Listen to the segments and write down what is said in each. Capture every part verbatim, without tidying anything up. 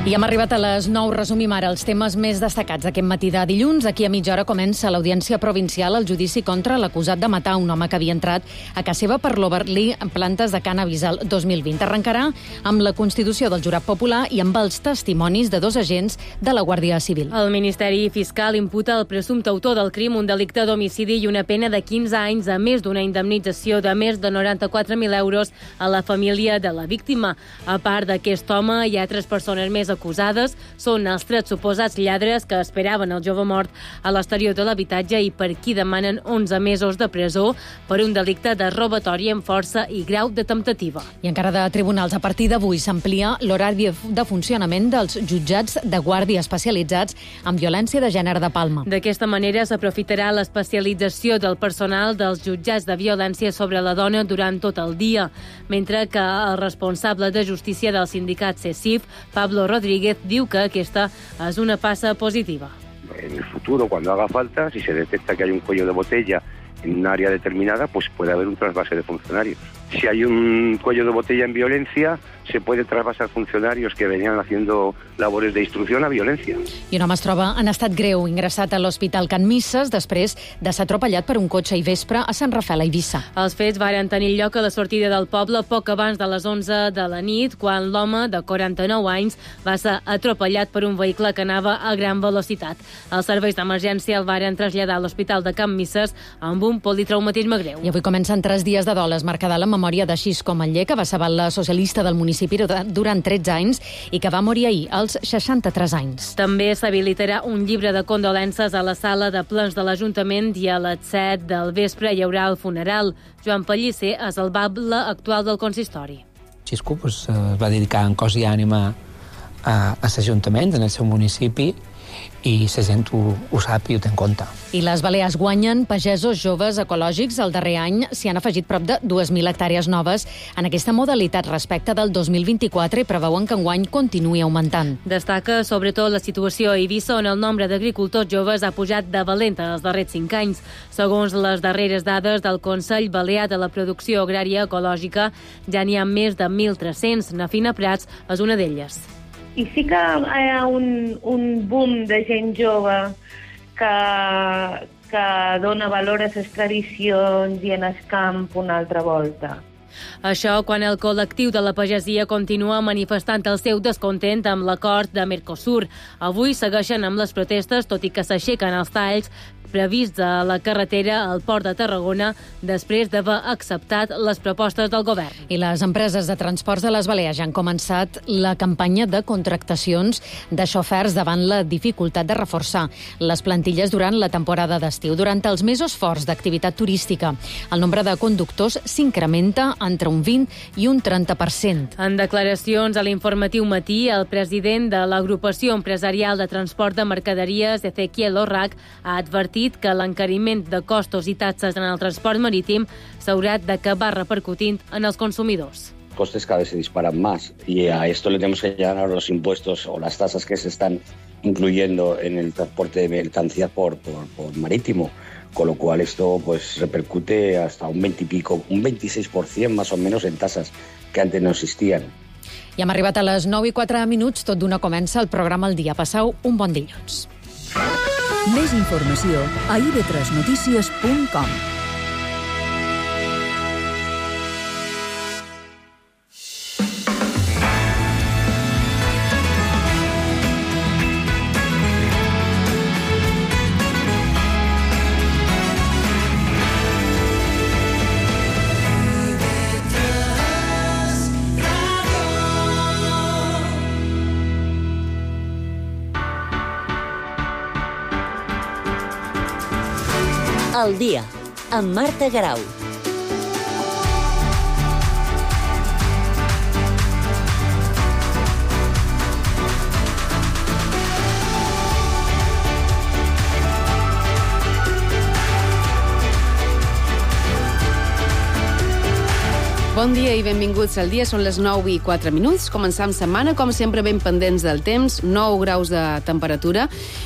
I hem arribat a les nou. Resumim ara els temes més destacats d'aquest matí de dilluns. Aquí a mitja hora comença l'audiència provincial al judici contra l'acusat de matar un home que havia entrat a casa seva per l'Overlea en plantes de cànnabis el dos mil vint. Arrencarà amb la constitució del jurat popular i amb els testimonis de dos agents de la Guàrdia Civil. El Ministeri Fiscal imputa al presumpte autor del crim un delicte d'homicidi i una pena de quinze anys, a més d'una indemnització de més de noranta-quatre mil euros a la família de la víctima. A part d'aquest home, hi ha tres persones més acusades. Són els tres suposats lladres que esperaven el jove mort a l'exterior de l'habitatge i per qui demanen onze mesos de presó per un delicte de robatori amb força i grau de temptativa. I encara de tribunals, a partir d'avui s'amplia l'horari de funcionament dels jutjats de guàrdia especialitzats en violència de gènere de Palma. D'aquesta manera s'aprofitarà l'especialització del personal dels jutjats de violència sobre la dona durant tot el dia, mentre que el responsable de justícia del sindicat CESIF, Pablo Rodríguez, diu que aquesta és una passa positiva. En el futuro, cuando haga falta, si se detecta que hay un cuello de botella en un área determinada, pues puede haber un trasvase de funcionarios. Si hay un cuello de botella en violencia, se puede trasvasar funcionarios que venían haciendo labores de instrucción a violencia. I un home es troba en estat greu, ingressat a l'Hospital Can Misses després de ser atropellat per un cotxe i vespre a Sant Rafel, a Eivissa. Els fets varen tenir lloc a la sortida del poble poc abans de les onze de la nit, quan l'home, de quaranta-nou anys, va ser atropellat per un vehicle que anava a gran velocitat. Els serveis d'emergència el varen traslladar a l'Hospital de Can Misses amb un politraumatisme greu. I avui comencen tres dies de dol, es marcarà la memòria de Xisco Manllé, que va ser la socialista del municipi durant tretze anys i que va morir ahir als seixanta-tres anys. També s'habilitarà un llibre de condolences a la sala de plens de l'Ajuntament i a les set del vespre hi haurà el funeral. Joan Pellicer és el bable actual del consistori. Xisco pues, es va dedicar en cos i ànima a, a l'Ajuntament, en el seu municipi, i la gent ho, ho sap i ho té en compte. I les Balears guanyen pagesos joves ecològics. El darrer any s'hi han afegit prop de dues mil hectàrees noves en aquesta modalitat respecte del dos mil vint-i-quatre i preveuen que enguany continuï augmentant. Destaca sobretot la situació a Eivissa, on el nombre d'agricultors joves ha pujat de valenta els darrers cinc anys. Segons les darreres dades del Consell Balear de la Producció Agrària Ecològica, ja n'hi ha més de mil tres-cents. Nafina Prats és una d'elles. I sí que hi ha un, un boom de gent jove que, que dona valor a les tradicions i en el camp una altra volta. Això quan el col·lectiu de la pagesia continua manifestant el seu descontent amb l'acord de Mercosur. Avui segueixen amb les protestes, tot i que s'aixequen els talls prevists a la carretera al Port de Tarragona després d'haver acceptat les propostes del govern. I les empreses de transports de les Balears ja han començat la campanya de contractacions de xofers davant la dificultat de reforçar les plantilles durant la temporada d'estiu. Durant els mesos forts d'activitat turística, el nombre de conductors s'incrementa entre un vint i un trenta per cent. En declaracions a l'informatiu Matí, el president de l'Agrupació Empresarial de Transport de Mercaderies, Ezequiel Orrac, ha advertit que l'encariment de costos i taxes en el transport marítim s'haurà d'acabar repercutint en els consumidors. Costes cada vez se disparan más y a esto le tenemos que añadir los impuestos o las tasas que se están incluyendo en el transporte de mercancías por, por, por marítimo, con lo cual esto pues repercute hasta un veinte y pico, un veintiséis por ciento más o menos en tasas que antes no existían. I hem arribat a les nou i quatre minuts, tot d'una comença el programa El Dia. Passeu un bon dilluns. Més informació a i ve tres notícies punt com. El dia, amb Marta Garau. Bon dia i benvinguts al dia. Són les nou i quatre minuts. Començam setmana, com sempre, ben pendents del temps. nou graus de temperatura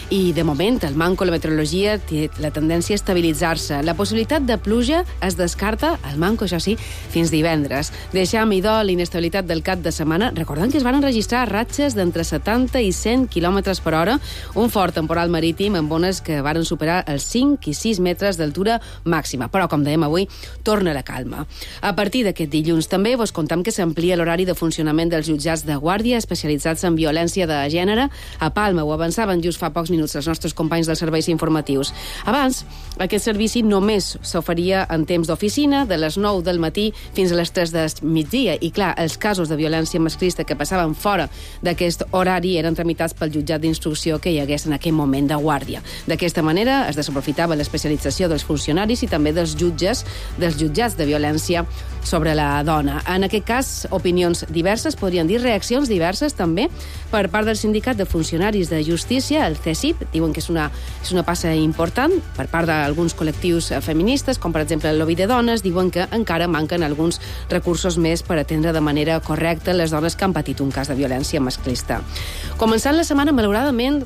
i, de moment, el manco, la meteorologia, té la tendència a estabilitzar-se. La possibilitat de pluja es descarta, el manco, això sí, fins divendres. Deixam, idò, l'inestabilitat del cap de setmana. Recordem que es van enregistrar ratxes d'entre setanta i cent quilòmetres per hora, un fort temporal marítim amb ones que varen superar els cinc i sis metres d'altura màxima. Però, com dèiem avui, torna la calma. A partir d'aquest dilluns també vos contam que s'amplia l'horari de funcionament dels jutjats de guàrdia especialitzats en violència de gènere. A Palma ho avançaven just fa pocs minuts els nostres companys dels serveis informatius. Abans, aquest servici només s'oferia en temps d'oficina, de les nou del matí fins a les tres del migdia. I clar, els casos de violència masclista que passaven fora d'aquest horari eren tramitats pel jutjat d'instrucció que hi hagués en aquell moment de guàrdia. D'aquesta manera es desaprofitava l'especialització dels funcionaris i també dels jutges, dels jutjats de violència sobre la dona. En aquest cas, opinions diverses, podrien dir reaccions diverses també, per part del Sindicat de Funcionaris de Justícia, el C E S I P. Diuen que és una, és una passa important per part d'alguns col·lectius feministes, com per exemple el lobby de dones. Diuen que encara manquen alguns recursos més per atendre de manera correcta les dones que han patit un cas de violència masclista. Començant la setmana, malauradament,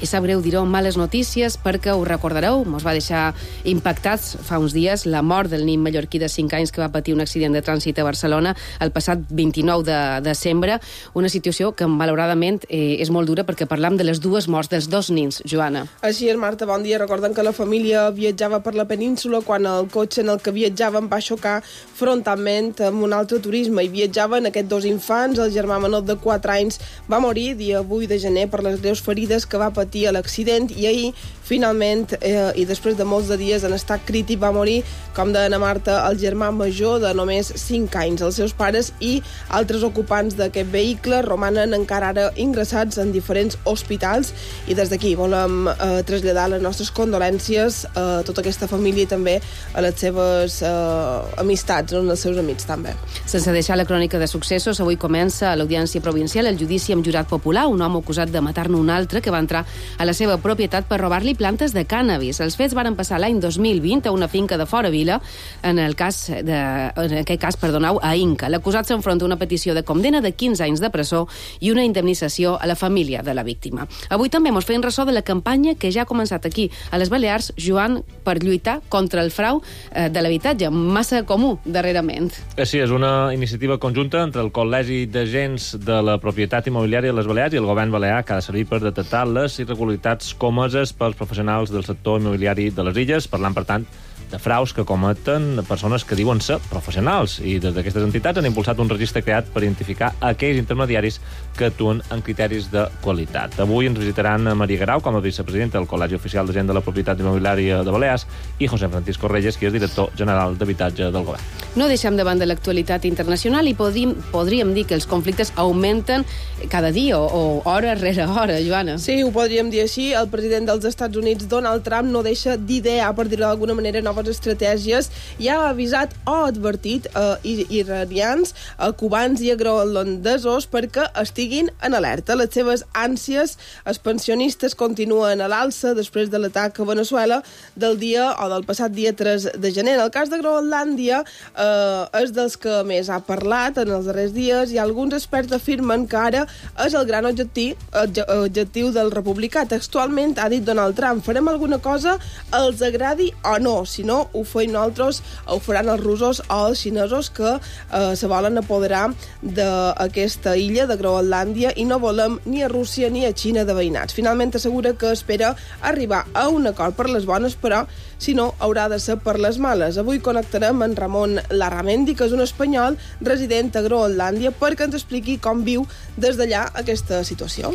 i sap greu dir-ho, males notícies, perquè ho recordareu, mos va deixar impactats fa uns dies la mort del nen mallorquí de cinc anys que va patir un accident de trànsit a Barcelona el passat vint-i-nou de desembre. Una situació que, malauradament, eh, és molt dura perquè parlam de les dues morts dels dos nens. Joana. Així és, Marta, bon dia. Recordem que la família viatjava per la península quan el cotxe en el que viatjaven va xocar frontalment amb un altre turisme. I viatjaven aquests dos infants. El germà menor de quatre anys va morir dia vuit de gener per les greus ferides que va patir a l'accident, i ahir, finalment, eh, i després de molts de dies en estat crític, va morir, com deia Ana Marta, el germà major de només cinc anys. Els seus pares i altres ocupants d'aquest vehicle romanen encara ara ingressats en diferents hospitals, i des d'aquí volem eh, traslladar les nostres condolències a tota aquesta família i també a les seves eh, amistats, no? als seus amics també. Sense deixar la crònica de successos, avui comença a l'Audiència Provincial el judici amb jurat popular, un home acusat de matar-ne un altre que va entrar a la seva propietat per robar-li plantes de cànnabis. Els fets van passar l'any dos mil vint a una finca de Fora Vila, en el cas de, en aquest cas, perdoneu, a Inca. L'acusat s'enfronta a una petició de condena de quinze anys de presó i una indemnització a la família de la víctima. Avui també mos feien ressò de la campanya que ja ha començat aquí, a les Balears, Joan, per lluitar contra el frau eh, de l'habitatge, massa comú darrerament. Sí, és una iniciativa conjunta entre el Col·legi d'Agents de la Propietat Immobiliària de les Balears i el Govern Balear, que ha de servir per detectar les irregularitats comeses pels professionals del sector immobiliari de les illes, parlant, per tant, de fraus que cometen persones que diuen ser professionals, i des d'aquestes entitats han impulsat un registre creat per identificar aquells intermediaris que actuen en criteris de qualitat. Avui ens visitaran Maria Guerau com a vicepresidenta del Col·legi Oficial de Gent de la Propietat Immobiliària de Balears i José Francisco Reyes, qui és director general d'Habitatge del Govern. No deixem davant de l'actualitat internacional i podríem, podríem dir que els conflictes augmenten cada dia o, o hora rere hora, Joana. Sí, ho podríem dir així. El president dels Estats Units, Donald Trump, no deixa d'idear, per dir-ho d'alguna manera, noves estratègies, i ha avisat o advertit a eh, iranians, a cubans i a groenlandesos perquè estiguin en alerta. Les seves ànsies expansionistes continuen a l'alça després de l'atac a Venezuela del dia o del passat dia tres de gener. En el cas de Groenlàndia eh, és dels que més ha parlat en els darrers dies, i alguns experts afirmen que ara és el gran objectiu, objectiu del republicà. Textualment ha dit Donald Trump: farem alguna cosa, els agradi o no, si no ho feim nosaltres, ho faran els russos o els xinesos que eh, se volen apoderar d'aquesta illa de Groenlàndia, i no volem ni a Rússia ni a Xina de veïnats. Finalment assegura que espera arribar a un acord per les bones, però si no haurà de ser per les males. Avui connectarem amb Ramon Larramendi, que és un espanyol resident a Groenlàndia, perquè ens expliqui com viu des d'allà aquesta situació.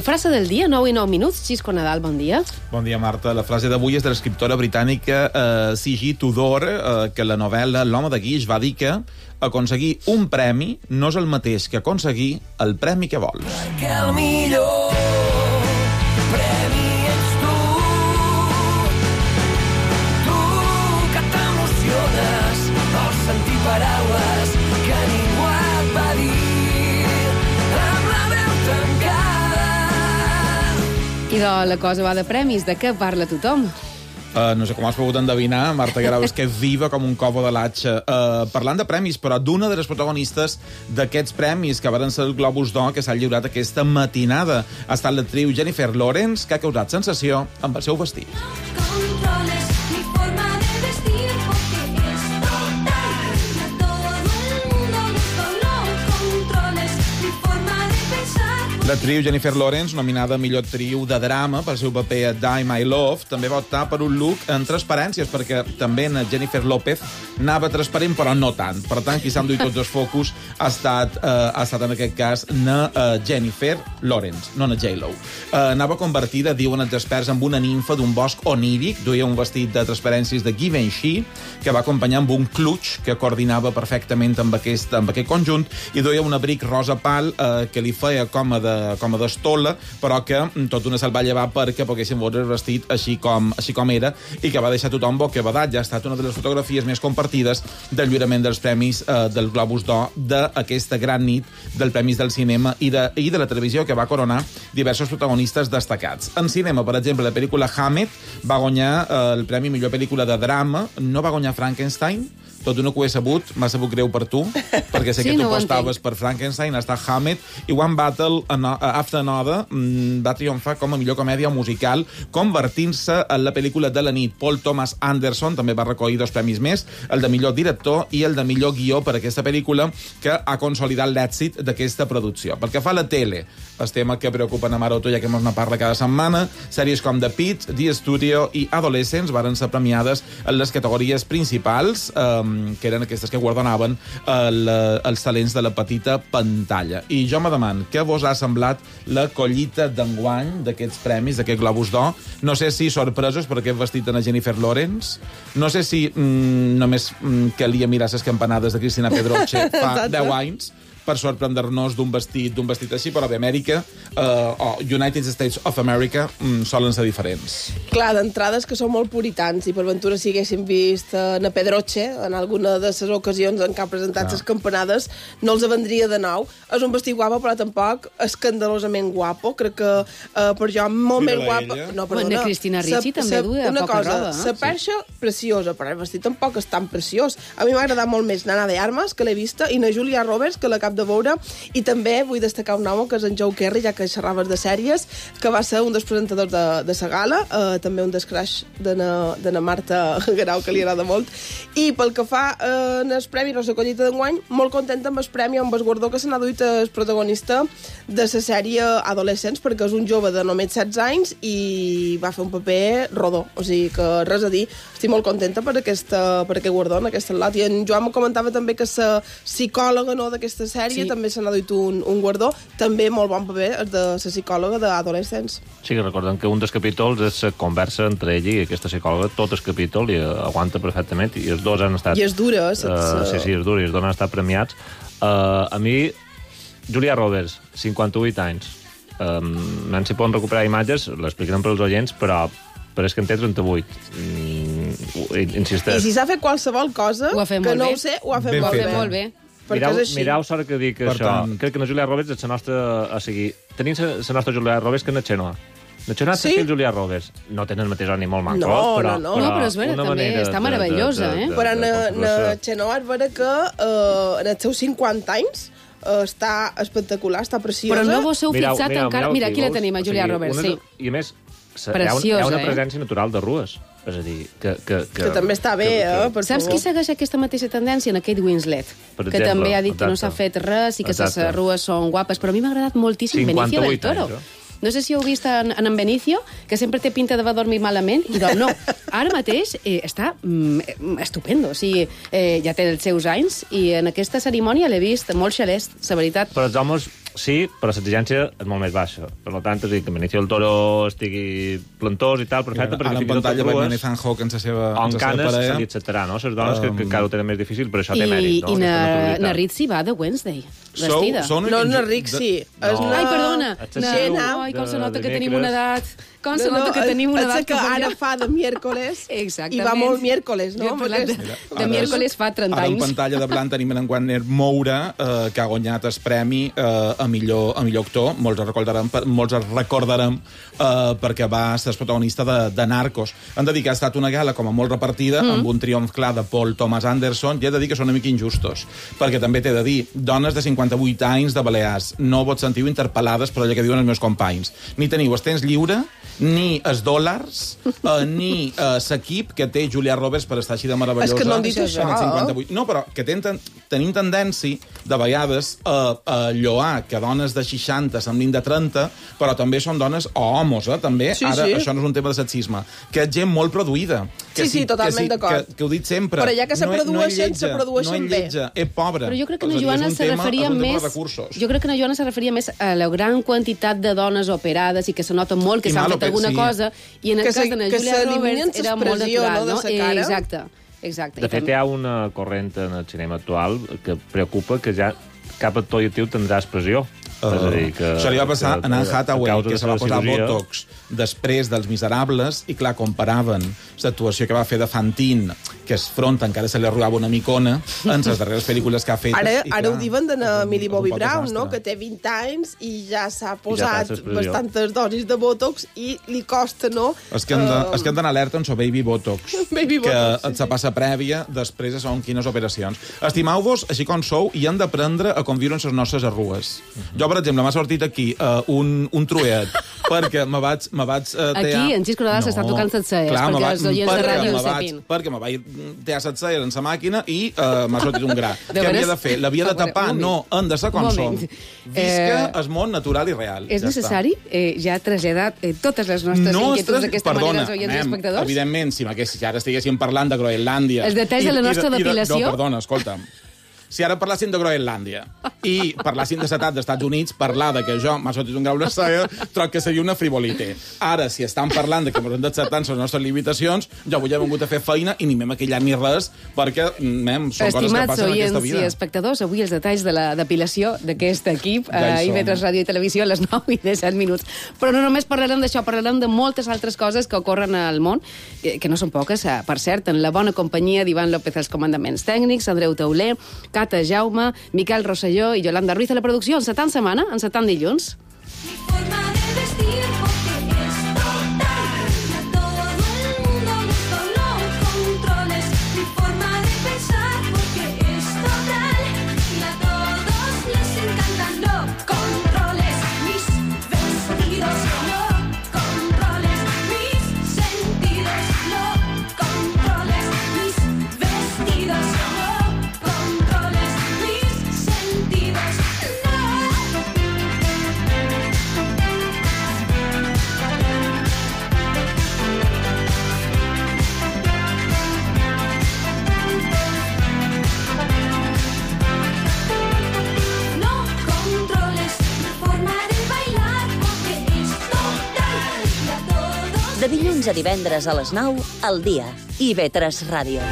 Frase del dia, nou i nou minuts. Xisco Nadal, bon dia. Bon dia, Marta. La frase d'avui és de l'escriptora britànica eh, C G Tudor, eh, que la novel·la L'home de guix va dir que aconseguir un premi no és el mateix que aconseguir el premi que vols. Que el millor premi ets tu, tu que t'emociones al sentir paraules que ningú et va dir amb la veu tancada. I de la cosa va de premis, de què parla tothom? Uh, no sé com has pogut endevinar, Marta Guerau, és que és viva com un covo de l'atxa. Uh, parlant de premis, però d'una de les protagonistes d'aquests premis, que van ser el Globus d'Or, que s'ha lliurat aquesta matinada. Ha estat l'actriu Jennifer Lawrence, que ha causat sensació amb el seu vestit. L'actriu Jennifer Lawrence, nominada a millor actriu de drama pel seu paper a Die My Love, també va optar per un look en transparències, perquè també en Jennifer López anava transparent, però no tant. Per tant, qui s'ha enduit tots els focus ha estat, eh, ha estat en aquest cas na uh, Jennifer Lawrence, no na J-Lo. Uh, anava convertida, diuen els experts, amb una nimfa d'un bosc oníric, duia un vestit de transparències de Givenchy, que va acompanyar amb un clutch que coordinava perfectament amb aquest, amb aquest conjunt, i duia un abric rosa pal eh, que li feia com a de com a d'estola, però que tot una se'l va llevar perquè poguéssim veure el vestit així com, així com era, i que va deixar tothom bocabadat. Ja ha estat una de les fotografies més compartides del lliurament dels premis eh, del Globus d'Or d'aquesta gran nit dels premis del cinema i de, i de la televisió, que va coronar diversos protagonistes destacats. En cinema, per exemple, la pel·lícula Hammett va guanyar eh, el premi millor pel·lícula de drama. No va guanyar Frankenstein, tot una que ho he sabut, m'ha sabut greu per tu, perquè sé sí, que tu no apostaves per Frankenstein, està Hammett, i One Battle After Another va triomfar com a millor comèdia musical, convertint-se en la pel·lícula de la nit. Paul Thomas Anderson també va recollir dos premis més, el de millor director i el de millor guió per aquesta pel·lícula, que ha consolidat l'èxit d'aquesta producció. Pel que fa a la tele, el tema que preocupa a Maroto, ja que ens ne parla cada setmana, sèries com The Pitt, The Studio i Adolescents varen ser premiades en les categories principals, eh, que eren aquestes que guardonaven el, els talents de la petita pantalla. I jo me demano, què vos ha semblat la collita d'enguany d'aquests premis, d'aquest Globus d'Or? No sé si sorpresos per aquest vestit de la Jennifer Lawrence, no sé si mm, només mm, calia mirar les campanades de Cristina Pedroche fa deu anys per sorprendre-nos d'un vestit d'un vestit així, però d'Amèrica uh, o United States of America mm, solen ser diferents. Clar, d'entrades que són molt puritans, i per ventura si haguéssim vist uh, na Pedroche en alguna de les ocasions en què ha presentat les campanades, no els vendria de nou. És un vestit guapo, però tampoc escandalosament guapo. Crec que uh, per jo molt més guapa... No, perdona. Bueno, Cristina Ricci sa, també duia poca cosa, roba. La perxa, sí. Preciosa, però el vestit tampoc és tan preciós. A mi m'ha agradat molt més Nana de Armas, que l'he vista, i na Julia Roberts, que la cap de veure, i també vull destacar un home que és en Joe Kerry, ja que xerraves de sèries, que va ser un dels presentadors de, de sa gala, eh, també un dels crash de na, de na Marta Guerau, que li agrada molt, i pel que fa eh, en el premi Rosa Collita d'enguany, molt contenta amb el premi, amb el guardó que se n'ha duit el protagonista de la sèrie Adolescents, perquè és un jove de només setze anys i va fer un paper rodó, o sigui que res a dir. Estic molt contenta per, aquesta, per aquest guardó en aquest lot, i en Joan me comentava també que la psicòloga, no, d'aquesta sèrie sí. també se n'ha duit un, un guardó, també molt bon paper, és de la psicòloga d'Adolescents. Sí, que recordem que un dels capítols és la conversa entre ell i aquesta psicòloga, tot el capítol, i aguanta perfectament, i els dos han estat... I és dura, eh? Uh, sí, sí, és dura, i els dos han estat premiats. Uh, a mi, Julia Roberts, cinquanta-vuit anys, um, no si poden recuperar imatges, l'explicarem per als oients, però però és que en té trenta-vuit. Mm, insisteix. I si s'ha fet qualsevol cosa, que no bé. ho sé, ho ha fet ben molt bé. bé. Molt bé. Mirau, mirau sort que dic per això. Tant. Crec que la Julia Roberts és la nostra... O sigui, tenim la nostra Julia Roberts que és la Xenoa. La Xenoa sí? i Julia Roberts no tenen el mateix ni molt manco, no, però, no, no. però, no, però és vera, també està meravellosa, de, de, de, eh? de, però de, na Xenoa és vera que uh, en els seus cinquanta anys uh, està espectacular, està preciosa. Però no vos heu mirau, fixat mirau, encara... Mirau, Mira, aquí veus, la tenim, a Julia o sigui, Roberts, una, sí. I a més, Preciosa, hi ha, una eh? presència natural de rues. És a dir, que... Que, que, que també està bé, que, que... eh? Per Saps favor. qui segueix aquesta mateixa tendència? En Kate Winslet, per que exemple, també ha dit exacte. que no s'ha fet res i que les Exacte. rues són guapes, però a mi m'ha agradat moltíssim Benicio del Toro. Anys, eh? No sé si heu vist en, en Benicio, que sempre té pinta de va dormir malament, i doncs no, ara mateix eh, està mm, estupendo, o sigui, eh, ja té els seus anys, i en aquesta cerimònia l'he vist molt xalest, la veritat. Però els homes sí, però l'exigència és molt més baixa. Per tant, és a dir, que Benicio del Toro estigui plantós i tal, perfecte, perquè ara en pantalla veiem Ethan Hawke en la seva parella. En canes se li acceptarà, no? Les dones um... que, que encara ho tenen més difícil, però això té I, mèrit, no? I na, na Ritzi va de Wednesday. vestida. Sou, sou no, no, ric, sí. De... És una... Ai, perdona. Gent, Ai, com se nota de que tenim una edat... Com se no, nota que tenim una edat... que ara fa de miércoles Exactament. i va molt miércoles, no? Jo he parlat de, de miércoles fa trenta ara anys. Ara en pantalla de blanc tenim en Wagner Moura, eh, que ha guanyat el premi eh, a, millor, a millor actor. Molts el recordarem, molts el recordarem eh, perquè va ser el protagonista de, de Narcos. Han de dir que ha estat una gala com a molt repartida, mm. amb un triomf clar de Paul Thomas Anderson, i he de dir que són una mica injustos, perquè també t'he de dir, dones de cinquanta-vuit anys de Balears, no vos sentiu interpel·lades per allò que diuen els meus companys. Ni teniu el temps lliure, ni els dòlars, eh, ni eh, l'equip que té Julia Roberts per estar així de meravellosa. És que no han dit això. cinquanta-vuit. No, però que ten, tenim tendència, de vegades, a, a lloar que dones de seixanta semblin de trenta, però també són dones o homes, eh, també. Sí, Ara, sí. això no és un tema de sexisme. Que és gent molt produïda. Que Sí, sí, totalment que, d'acord. Que, que ho dic sempre. Però ja que se no, produeixen, no se produeixen no bé. lletja, és pobra. Però jo crec que És na a dir, Joana és un se tema- referia és un tema de més... recursos. Jo crec que na Joana se referia més a la gran quantitat de dones operades i que se nota molt que I s'han malo fet que- alguna sí. cosa, i en el Que cas se- de na que Julia s'eliminen Roberts era molt l'expressió, natural, no, no? de sa cara. Eh, exacte, exacte. De fet, hi ha una corrent en el cinema actual que preocupa que ja cap actor i actriu tindrà expressió. Uh, és a dir, que, això li va passar que, a Anne que, Hathaway, a causa que de se va la posar cirurgia, Botox després dels Miserables, i clar, comparaven l'actuació que va fer de Fantine, que es front encara se li arrugava una micona, en les darreres pel·lícules que ha fet. Ara, i, ara ho diuen de na Millie Bobby poc Brown, desastre. no? Que té vint anys i ja s'ha I ja posat passa expressió. bastantes dosis de Botox i li costa, no? És que hem de- Eh, és que hem d'anar alerta amb so Baby Botox, Baby que Botox, sí, et se passa prèvia després de segons quines operacions. Estimeu-vos així com sou i han d'aprendre a conviure amb les nostres arrugues. Jo, per exemple, m'ha sortit aquí uh, un, un truet perquè me vaig... Me vaig uh, tear... Aquí, en Xisco Nadal s'està tocant les celles, perquè els oients de ràdio ho sapin. Perquè me vaig tear les celles en la màquina i uh, m'ha sortit un gra. De Què veres? havia de fer? L'havia de A veure, tapar? un No, moment. hem de ser com Un som. moment. Visca Eh, el món natural i real. És Ja necessari eh, ja traslladar eh, totes les nostres no inquietuds estàs- d'aquesta perdona, manera als oients i anem, espectadors? Evidentment, si, si ara estiguéssim parlant de Groenlàndia... Els detalls de la nostra i depilació? No, perdona, escolta'm. Si ara parlàssim de Groenlàndia i parlàssim de l'etat dels Estats Units, parlar de que jo m'ha sortit un grau de cella, troc que seria una frivolité. Ara, si estan parlant de que ens hem d'acceptar les nostres limitacions, jo avui he vingut a fer feina i ni m'he maquillat ni res, perquè mem, són coses que Estimats passen en aquesta oients vida. i espectadors, avui els detalls de la depilació d'aquest equip Ja a hi I V tres som. Ràdio i Televisió a les nou i disset minuts. Però no només parlarem d'això, parlarem de moltes altres coses que ocorren al món, eh, que no són poques, eh, per cert, en la bona companyia d'Ivan López als comandaments tècnics, Andreu Tauler, Cata Jaume, Miquel Rosselló i Yolanda Ruiz a la producció, en setant setmana, en setant dilluns. De dilluns a divendres a les nou, al dia. I V tres Ràdio.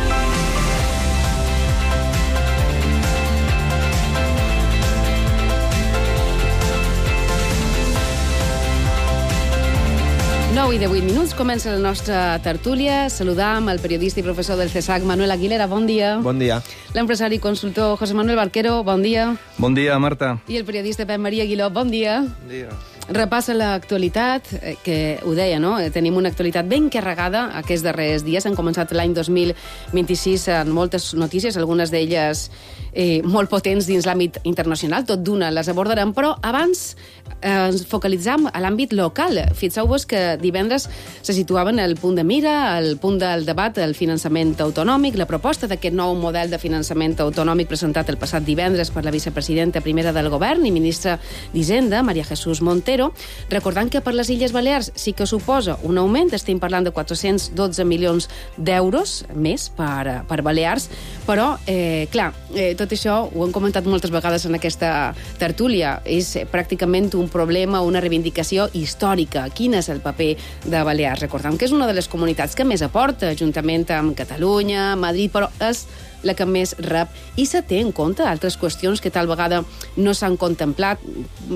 nou i de vuit minuts, comença la nostra tertúlia. Saludam el periodista i professor del CESAC, Manuel Aguilera, bon dia. Bon dia. L'empresari i consultor José Manuel Barquero, bon dia. Bon dia, Marta. I el periodista Pep Maria Aguiló, bon dia. Bon dia. Repassa l'actualitat, eh, que ho deia, no? Eh, Tenim una actualitat ben carregada aquests darrers dies. Han començat l'any dos mil vint-i-sis amb moltes notícies, algunes d'elles eh, molt potents dins l'àmbit internacional, tot d'una les abordarem, però abans eh, ens focalitzam a l'àmbit local. Fixeu-vos que divendres se situaven al punt de mira, al punt del debat, el finançament autonòmic, la proposta d'aquest nou model de finançament autonòmic presentat el passat divendres per la vicepresidenta primera del govern i ministra d'Hisenda, Maria Jesús Montero, recordant que per les Illes Balears sí que suposa un augment, estem parlant de quatre-cents dotze milions d'euros més per, per Balears, però, eh, clar, eh, tot això ho hem comentat moltes vegades en aquesta tertúlia, és pràcticament un problema, una reivindicació històrica. Quin és el paper de Balears? Recordem que és una de les comunitats que més aporta, juntament amb Catalunya, Madrid, però és la que més rep. I se té en compte altres qüestions que tal vegada no s'han contemplat,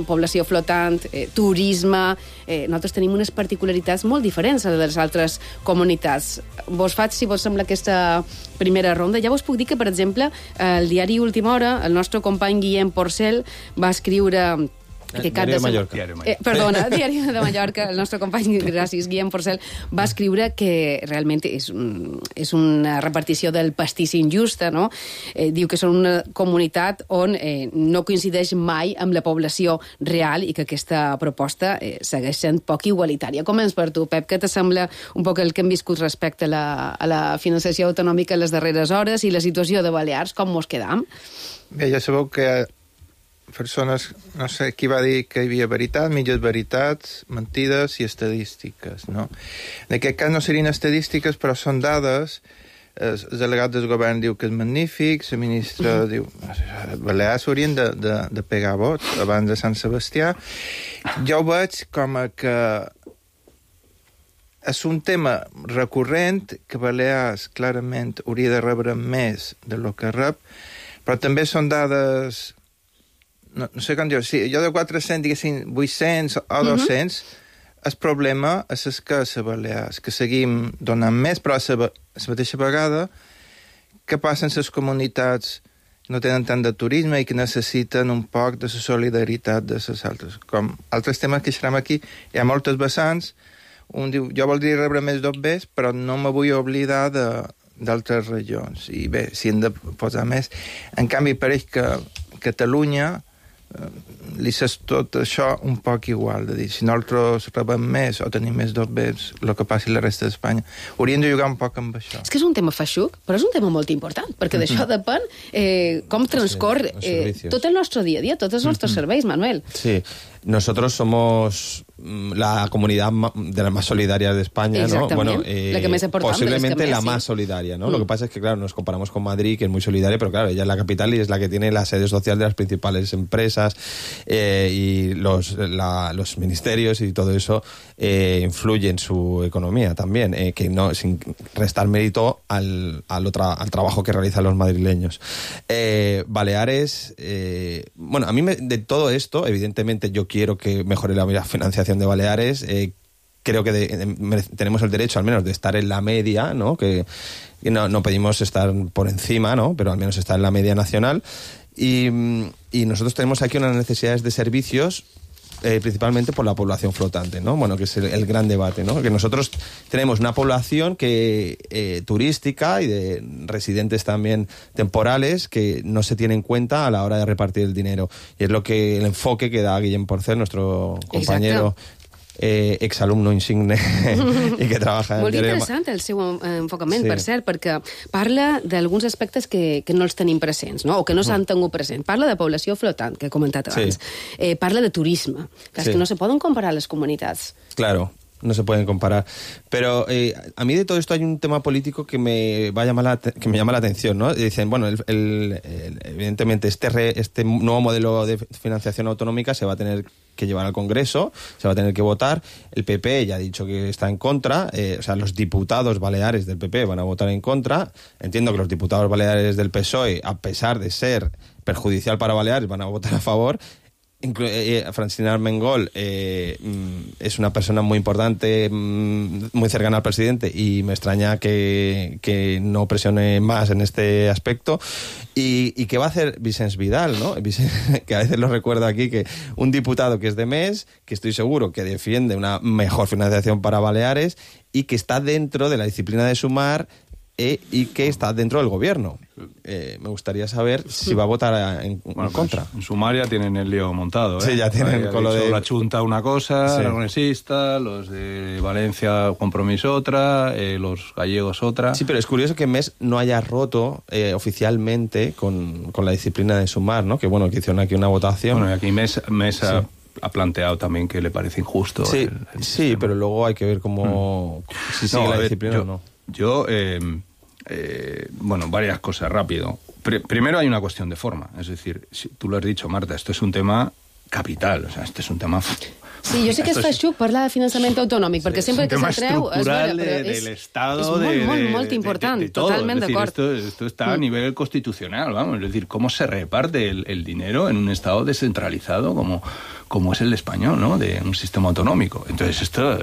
població flotant, eh, turisme... Eh, nosaltres tenim unes particularitats molt diferents a les altres comunitats. Vos faig, si vos sembla, aquesta primera ronda. Ja vos puc dir que, per exemple, el diari Última Hora, el nostre company Guillem Porcel va escriure... Que Diari de Mallorca. Eh, perdona, Diari de Mallorca, el nostre company, gràcies, Guillem Porcel, va escriure que realment és, un, és una repartició del pastís injusta, no? Eh, diu que són una comunitat on eh, no coincideix mai amb la població real i que aquesta proposta eh, segueix sent poc igualitària. Començ per tu, Pep, què t'assembla un poc el que hem viscut respecte a la, a la financiació autonòmica en les darreres hores i la situació de Balears, com mos quedam? Bé, ja sabeu que persones, no sé qui va dir que hi havia veritat, mitges veritats, mentides i estadístiques, no? En aquest cas no serien estadístiques, però són dades. El delegat del govern diu que és magnífic, la ministra mm. diu que Balears haurien de, de, de pegar vots abans de Sant Sebastià. Jo ho veig com a que és un tema recurrent, que Balears clarament hauria de rebre més del que rep, però també són dades... No, no sé com dir, si jo de quatre-cents, diguéssim, vuit-cents o dos-cents, uh-huh. el problema és escàs a Balears, que seguim donant més, però a la, a la mateixa vegada, què passa en les comunitats que no tenen tant de turisme i que necessiten un poc de la solidaritat de les altres. Com altres temes que xerrem aquí, hi ha moltes vessants, un diu, jo voldria rebre més d'obbers, però no me vull oblidar de, d'altres regions. I bé, si hem de posar més. En canvi, pareix que Catalunya li és tot això un poc igual, de dir, si nosaltres rebem més o tenim més d'obbers, el que passi a la resta d'Espanya. Hauríem de jugar un poc amb això. És que és un tema feixuc, però és un tema molt important, perquè d'això depèn eh, com transcorre eh, tot el nostre dia a dia, tots els nostres serveis, Manuel. Sí, nosotros somos la comunidad de las más solidarias de España, ¿no? Bueno, eh, la que más posiblemente la sí. más solidaria, ¿no? Mm. Lo que pasa es que, claro, nos comparamos con Madrid, que es muy solidaria, pero claro, ella es la capital y es la que tiene la sede social de las principales empresas eh, y los, la, los ministerios y todo eso eh, influye en su economía también, eh, que no, sin restar mérito al, al, otra, al trabajo que realizan los madrileños. Eh, Baleares, eh, bueno, a mí me, de todo esto, evidentemente yo quiero que mejore la financiación de Baleares, eh, creo que de, de, tenemos el derecho al menos de estar en la media, ¿no? Que, que no, no pedimos estar por encima, ¿no? Pero al menos estar en la media nacional. Y, y nosotros tenemos aquí unas necesidades de servicios eh, principalmente por la población flotante, ¿no? Bueno, que es el, el gran debate, ¿no? Que nosotros tenemos una población que eh, turística y de residentes también temporales que no se tiene en cuenta a la hora de repartir el dinero. Y es lo que el enfoque que da Guillem Porcel, nuestro compañero... Exacto. Eh, exalumno insigne i que treballa... Molt interessant el seu enfocament, sí. Per cert, perquè parla d'alguns aspectes que, que no els tenim presents, no? O que no s'han tingut present. Parla de població flotant, que he comentat abans. Sí. Eh, parla de turisme. Que, sí. que no se poden comparar les comunitats. Claro. No se pueden comparar. Pero eh, a mí de todo esto hay un tema político que me va a llamar la, que me llama la atención, ¿no? Dicen, bueno, el, el, el, evidentemente este, re, este nuevo modelo de financiación autonómica se va a tener que llevar al Congreso, se va a tener que votar. El P P ya ha dicho que está en contra, eh, o sea, los diputados baleares del P P van a votar en contra. Entiendo que los diputados baleares del P S O E, a pesar de ser perjudicial para Baleares, van a votar a favor. Inclu eh, Francina Armengol eh, es una persona muy importante, muy cercana al presidente, y me extraña que, que no presione más en este aspecto. ¿Y, y qué va a hacer Vicens Vidal, ¿no? Que a veces lo recuerdo aquí, que un diputado que es de M E S, que estoy seguro que defiende una mejor financiación para Baleares y que está dentro de la disciplina de Sumar, E, y que está dentro del gobierno. Eh, me gustaría saber si va a votar en, bueno, en contra. Pues en Sumar ya tienen el lío montado, ¿eh? Sí, ya tienen con lo de... La Junta una cosa, sí. Aragonesista, los de Valencia Compromís otra, eh, los gallegos otra. Sí, pero es curioso que M E S no haya roto eh, oficialmente con, con la disciplina de Sumar, ¿no? Que bueno, que hicieron aquí una votación. Bueno, y aquí M E S, M E S sí. ha, ha planteado también que le parece injusto. Sí, el, el sí, pero luego hay que ver cómo... Mm. Si sigue no, la ver, disciplina yo, o no. Yo... Eh, Eh, bueno, varias cosas, rápido. Pr- primero hay una cuestión de forma, es decir, si tú lo has dicho, Marta, esto es un tema capital, o sea, este es un tema f- Sí, jo sé que es fa xuc parlar de finançament autonòmic, perquè Sí, sempre es que un tema se'n treu... Es estructural vera, però de- és, del Estado, és molt, de- molt, de- molt de- important, de todo. totalment Es decir, d'acord. Esto, esto está a Mm. nivel constitucional, vamos. Es decir, cómo se reparte el, el dinero en un Estado descentralizado como, como es el español, ¿no? De un sistema autonómico. Entonces, esto,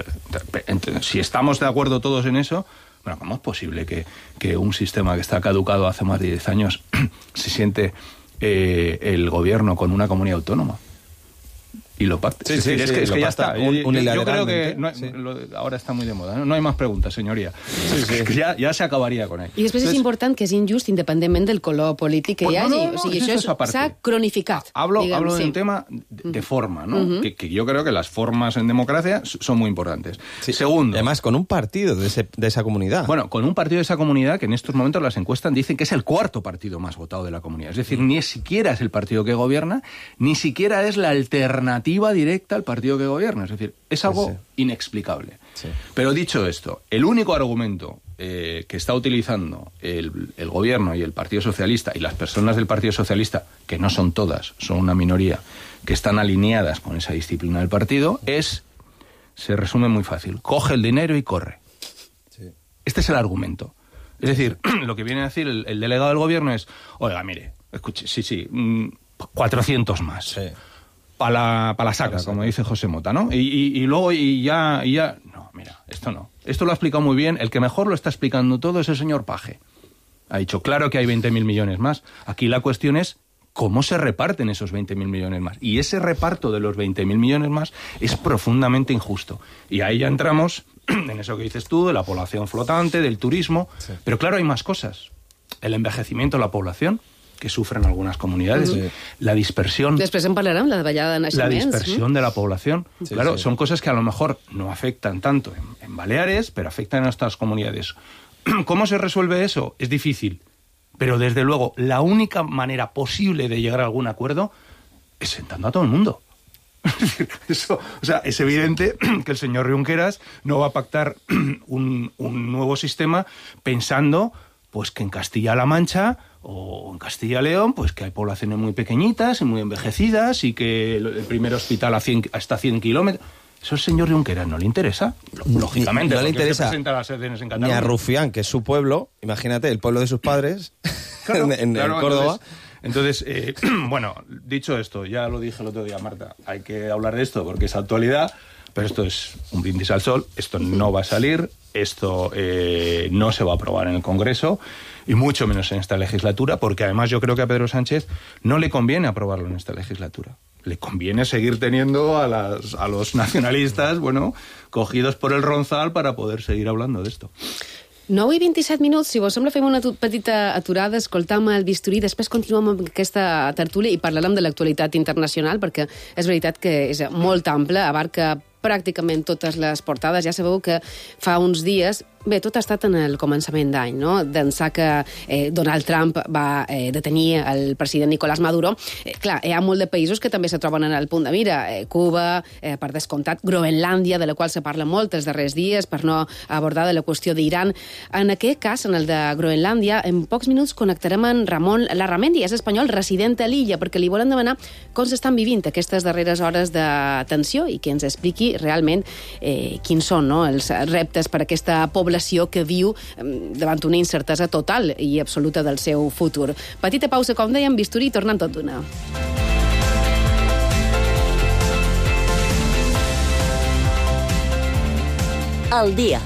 ent- si estamos de acuerdo todos en eso, bueno, ¿cómo es posible que, que un sistema que está caducado hace más de diez años se siente eh, el gobierno con una comunidad autónoma? Y lo pacte. Sí, es sí, decir, es sí, que, es lo que ya pacta está. Yo- yo, yo creo que unilateralmente, no- sí. lo- ahora está muy de moda. No, no hay más preguntas, señoría. Es que ya, ya se acabaría con él. I després és important que és injust independentment del color polític que Pues hi no, hagi. no, no, o sigui, eso això es aparte. s'ha cronificat. Hablo, diguem, hablo de sí. un tema de, de forma, ¿no? Ujú. que, que yo creo que las formas en democracia s- son muy importantes. Segundo. Además, con un partido de, ese- de esa comunidad. Bueno, con un partido de esa comunidad que en estos momentos las encuestas dicen que es el cuarto partido más votado de la comunidad. Es decir, ni siquiera es el partido que gobierna, ni siquiera es la alternativa directa al partido que gobierna. Es decir, es algo Sí, sí. inexplicable. Pero dicho esto, el único argumento eh, que está utilizando el, el gobierno y el Partido Socialista y las personas del Partido Socialista, que no son todas, son una minoría, que están alineadas con esa disciplina del partido, es, se resume muy fácil, coge el dinero y corre. Este es el argumento. Es decir, lo que viene a decir el, el delegado del gobierno es, oiga, mire, escuche, sí, sí, mm, cuatrocientos más. Para la, pa la saca, como dice José Mota, ¿no? Y, y, y luego y ya, y ya... No, mira, esto no. Esto lo ha explicado muy bien. El que mejor lo está explicando todo es el señor Paje. Ha dicho, claro que hay veinte mil millones más. Aquí la cuestión es cómo se reparten esos veinte mil millones más. Y ese reparto de los veinte mil millones más es profundamente injusto. Y ahí ya entramos en eso que dices tú, de la población flotante, del turismo. Pero claro, hay más cosas. El envejecimiento de la población, que sufren algunas comunidades, Sí. la dispersión, Després en parlarem, la davallada de la naixements. dispersión de la población. Sí, claro, sí. son cosas que a lo mejor no afectan tanto en, en Baleares, pero afectan a nuestras comunidades. ¿Cómo se resuelve eso? Es difícil. Pero desde luego, la única manera posible de llegar a algún acuerdo es sentando a todo el mundo. Eso, o sea, es evidente que el señor Junqueras no va a pactar un, un nuevo sistema pensando pues que en Castilla-La Mancha o en Castilla-León, pues que hay poblaciones muy pequeñitas y muy envejecidas y que el, el primer hospital a cien, hasta cien kilómetros. Eso al señor Junqueras no le interesa. Lógicamente, no le porque se interesa presenta a las sesiones en ni a Cataluña. Rufián, que es su pueblo, imagínate, el pueblo de sus padres, Claro, en, en- claro, en Córdoba. Entonces, entonces, eh, bueno, dicho esto, ya lo dije el otro día, Marta, hay que hablar de esto porque es actualidad, pero esto es un brindis al sol, esto no va a salir, esto eh, no se va a aprobar en el Congreso, y mucho menos en esta legislatura, porque además yo creo que a Pedro Sánchez no le conviene aprobarlo en esta legislatura. Le conviene seguir teniendo a, las, a los nacionalistas, bueno, cogidos por el ronzal para poder seguir hablando de esto. nou i vint-i-set minuts, si vos sembla fem una tu- petita aturada, escoltam el bisturí, després continuem amb aquesta tertúlia i parlarem de l'actualitat internacional, perquè és veritat que és molt ampla, abarca pràcticament totes les portades. Ja sabeu que fa uns dies, bé, tot ha estat en el començament d'any, no? D'ençà que eh, Donald Trump va eh, detenir el president Nicolás Maduro. Eh, clar, hi ha molt de països que també se troben en el punt de mira. Eh, Cuba, eh, per descomptat, Groenlàndia, de la qual se parla molt els darrers dies, per no abordar de la qüestió d'Iran. En aquest cas, en el de Groenlàndia, en pocs minuts connectarem amb Ramon Larramendi, és espanyol, resident a l'illa, perquè li volem demanar com s'estan vivint aquestes darreres hores de tensió i que ens expliqui realment eh, quins són, no?, els reptes per a aquesta població que viu eh, davant una incertesa total i absoluta del seu futur. Petita pausa, com dèiem, bisturí, i tornem tot d'una. Al dia.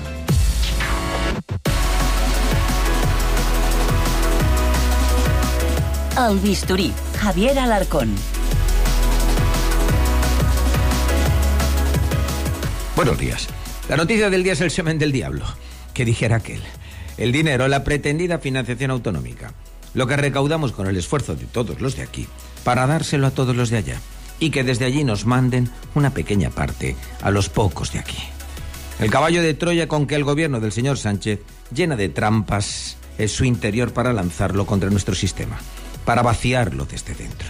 El bisturí. Javier Alarcón. Buenos días. La noticia del día es el semen del diablo. Que dijera aquel. El dinero, la pretendida financiación autonómica. Lo que recaudamos con el esfuerzo de todos los de aquí para dárselo a todos los de allá. Y que desde allí nos manden una pequeña parte a los pocos de aquí. El caballo de Troya con que el gobierno del señor Sánchez llena de trampas es su interior para lanzarlo contra nuestro sistema. Para vaciarlo desde dentro.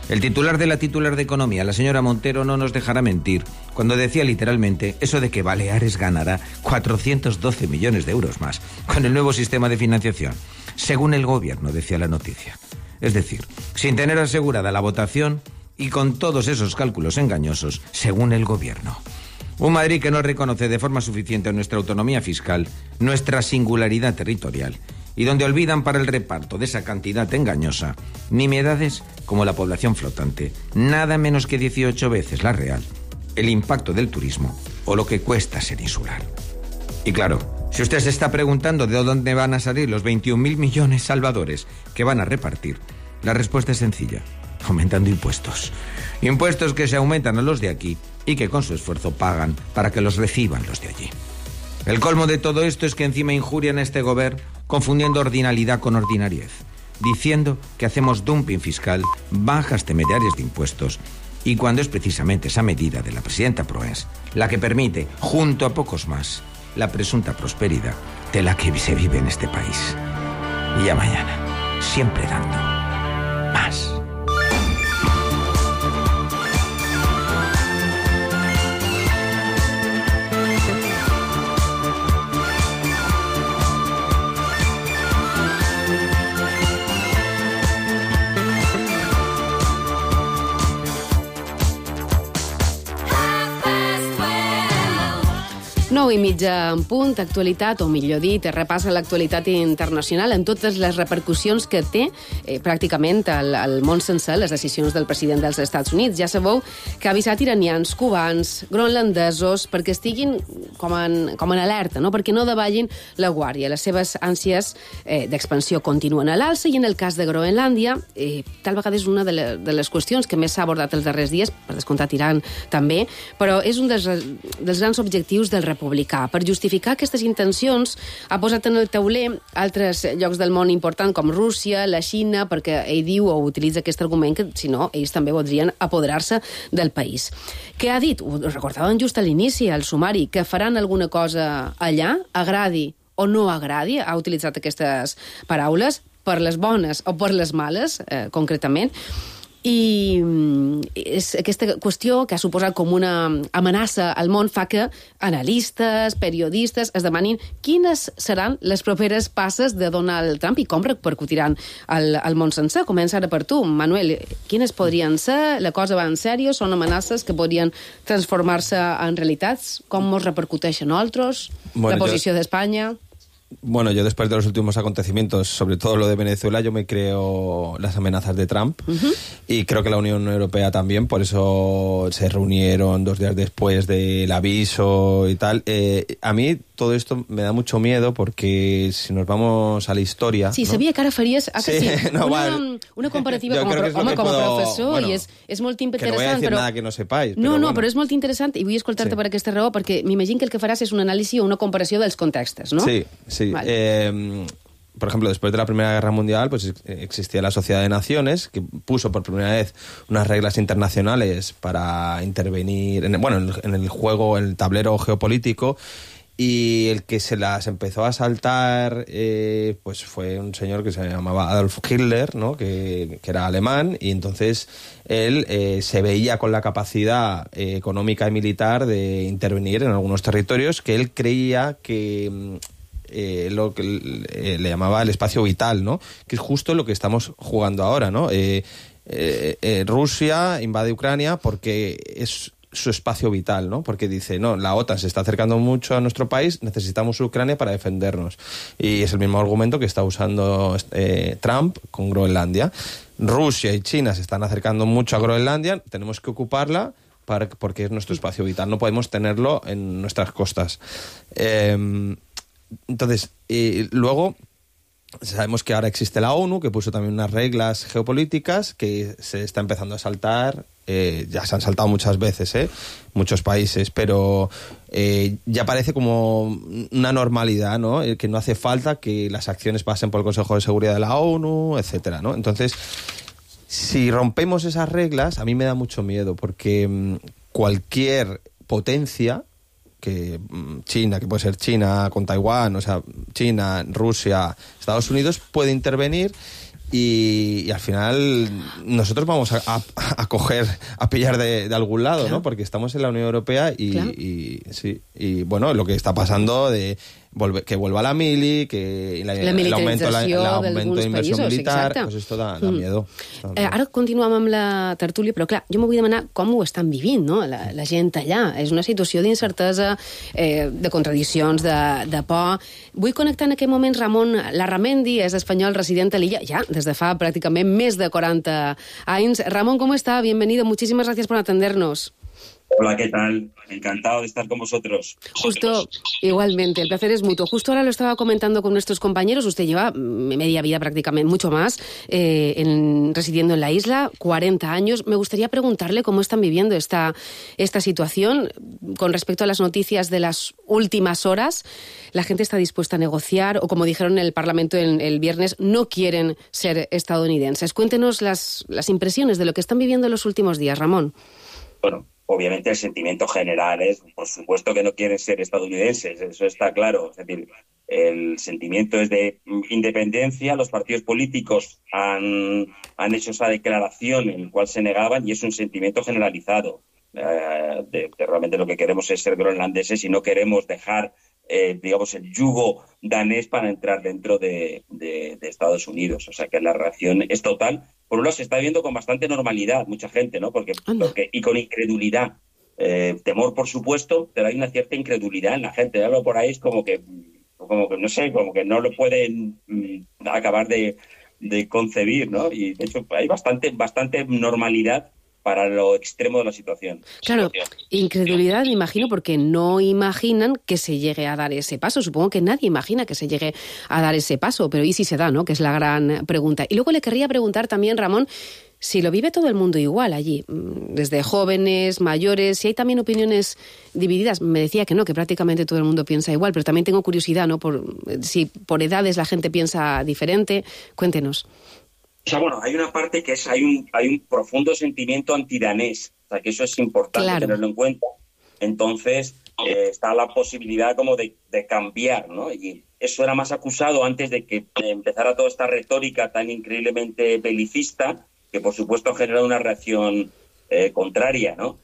El titular de la titular de Economía, la señora Montero, no nos dejará mentir cuando decía literalmente eso de que Baleares ganará cuatrocientos doce millones de euros más con el nuevo sistema de financiación, según el gobierno, decía la noticia. Es decir, sin tener asegurada la votación, Y con todos esos cálculos engañosos, según el gobierno. Un Madrid que no reconoce de forma suficiente nuestra autonomía fiscal, nuestra singularidad territorial, y donde olvidan para el reparto de esa cantidad engañosa nimiedades como la población flotante, nada menos que dieciocho veces la real, el impacto del turismo o lo que cuesta ser insular. Y claro, si usted se está preguntando de dónde van a salir los veintiún mil millones salvadores que van a repartir, la respuesta es sencilla: aumentando impuestos. Impuestos que se aumentan a los de aquí y que con su esfuerzo pagan para que los reciban los de allí. El colmo de todo esto es que encima injurian a este gobierno confundiendo ordinalidad con ordinariez, diciendo que hacemos dumping fiscal, bajas temerarias de impuestos, y cuando es precisamente esa medida de la presidenta Proens la que permite, junto a pocos más, la presunta prosperidad de la que se vive en este país. Y ya mañana, siempre dando más. nou i mitja en punt, actualitat, o millor dit, repassa l'actualitat internacional en totes les repercussions que té eh, pràcticament al, al món sencer les decisions del president dels Estats Units. Ja sabeu que ha avisat iranians, cubans, groenlandesos, perquè estiguin com en, com en alerta, no? Perquè no davallin la guàrdia. Les seves ànsies eh, d'expansió continuen a l'alça i en el cas de Groenlàndia, eh, tal vegada és una de, la, de les qüestions que més s'ha abordat els darrers dies, per descomptat Iran també, però és un dels, dels grans objectius del republicà. Per justificar aquestes intencions, ha posat en el tauler altres llocs del món important com Rússia, la Xina, perquè ell diu o utilitza aquest argument que, si no, ells també voldrien apoderar-se del país. Què ha dit? Ho recordaven just a l'inici, al sumari, que faran alguna cosa allà, agradi o no agradi, ha utilitzat aquestes paraules, per les bones o per les males, eh, concretament. I és aquesta qüestió que ha suposat com una amenaça al món fa que analistes, periodistes es demanin quines seran les properes passes de Donald Trump i com repercutiran al, al món sencer. Comença ara per tu, Manuel. Quines podrien ser? La cosa va en sèrio? Són amenaces que podrien transformar-se en realitats? Com ens repercuteixen a altres? Bueno, la posició jo... d'Espanya? Bueno, yo después de los últimos acontecimientos, sobre todo lo de Venezuela, yo me creo las amenazas de Trump uh-huh. y creo que la Unión Europea también, por eso se reunieron dos días después del aviso y tal. Eh, a mí todo esto me da mucho miedo porque si nos vamos a la historia... Sí, ¿no? sabia que ara faries ah, que sí, sí, no, una, vale. una comparativa com a, pro, home, com a puedo, professor bueno, i és, és molt interessant. Que no voy a decir però... nada que no sepáis. No, però no, bueno. però és molt interessant i vull escoltar-te sí. per aquesta raó perquè m'imagino que el que faràs és un anàlisi o una comparació dels contextos, ¿no? Sí, sí. Vale. Eh, por ejemplo, después de la Primera Guerra Mundial, pues existía la Sociedad de Naciones, que puso por primera vez unas reglas internacionales para intervenir, en, bueno, en el, en el juego, en el tablero geopolítico, y el que se las empezó a saltar eh, pues fue un señor que se llamaba Adolf Hitler, ¿no? que, que era alemán, y entonces él eh, se veía con la capacidad eh, económica y militar de intervenir en algunos territorios que él creía que... Eh, lo que eh, le llamaba el espacio vital, ¿no? Que es justo lo que estamos jugando ahora, ¿no? Eh, eh, eh, Rusia invade Ucrania porque es su espacio vital, ¿no? Porque dice, no, la OTAN se está acercando mucho a nuestro país, necesitamos Ucrania para defendernos. Y es el mismo argumento que está usando eh, Trump con Groenlandia. Rusia y China se están acercando mucho a Groenlandia, tenemos que ocuparla para, porque es nuestro espacio vital, no podemos tenerlo en nuestras costas. Eh, Entonces, eh, luego sabemos que ahora existe la ONU, que puso también unas reglas geopolíticas que se está empezando a saltar, eh, ya se han saltado muchas veces, ¿eh? Muchos países, pero eh, ya parece como una normalidad, ¿no? Eh, que no hace falta que las acciones pasen por el Consejo de Seguridad de la ONU, etcétera, ¿no? Entonces, si rompemos esas reglas, a mí me da mucho miedo, porque mmm, cualquier potencia... que China, que puede ser China con Taiwán, o sea, China, Rusia, Estados Unidos, puede intervenir y, y al final nosotros vamos a, a, a coger, a pillar de, de algún lado, claro. ¿no? Porque estamos en la Unión Europea y, claro. y, sí, y bueno, lo que está pasando de volve, que vuelva la mili, que la, la militarització l'augmento de inversió militar, exacte. pues esto da, da Mm. miedo. Eh, ara continuem amb la tertúlia, però clar, jo m'ho vull demanar com ho estan vivint, no? la, la gent allà. És una situació d'incertesa, eh, de contradiccions, de, de por. Vull connectar en aquest moment Ramon Larramendi, és espanyol resident a l'illa, ja des de fa pràcticament més de quaranta anys. Ramón, ¿cómo está? Bienvenido. Muchísimas gracias por atendernos. Hola, ¿qué tal? Encantado de estar con vosotros. Justo, igualmente, el placer es mutuo. Justo ahora lo estaba comentando con nuestros compañeros. Usted lleva media vida prácticamente, mucho más, eh, en, residiendo en la isla, cuarenta años. Me gustaría preguntarle cómo están viviendo esta, esta situación con respecto a las noticias de las últimas horas. La gente está dispuesta a negociar o, como dijeron en el Parlamento el, el viernes, no quieren ser estadounidenses. Cuéntenos las, las impresiones de lo que están viviendo en los últimos días, Ramón. Bueno, obviamente el sentimiento general es, por supuesto, que no quieren ser estadounidenses, eso está claro. Es decir, el sentimiento es de independencia, los partidos políticos han, han hecho esa declaración en la cual se negaban y es un sentimiento generalizado. Eh, de, de realmente lo que queremos es ser groenlandeses y no queremos dejar, eh, digamos, el yugo danés para entrar dentro de, de, de Estados Unidos. O sea que la reacción es total. Por un lado se está viendo con bastante normalidad mucha gente, ¿no? Porque, porque y con incredulidad. Eh, temor, por supuesto, pero hay una cierta incredulidad en la gente. Hablo por ahí, es como que, como que no sé, como que no lo pueden mm, acabar de, de concebir, ¿no? Y de hecho hay bastante, bastante normalidad para lo extremo de la situación. Claro, incredulidad, me imagino, porque no imaginan que se llegue a dar ese paso. Supongo que nadie imagina que se llegue a dar ese paso, pero ¿y si se da, no? Que es la gran pregunta. Y luego le querría preguntar también, Ramón, si lo vive todo el mundo igual allí, desde jóvenes, mayores, si hay también opiniones divididas. Me decía que no, que prácticamente todo el mundo piensa igual, pero también tengo curiosidad, ¿no? Por, si por edades la gente piensa diferente. Cuéntenos. O sea, bueno, hay una parte que es, hay un, hay un profundo sentimiento antidanés, o sea, que eso es importante claro. tenerlo en cuenta. Entonces, eh, está la posibilidad como de, de cambiar, ¿no? Y eso era más acusado antes de que empezara toda esta retórica tan increíblemente belicista, que por supuesto genera una reacción eh, contraria, ¿no?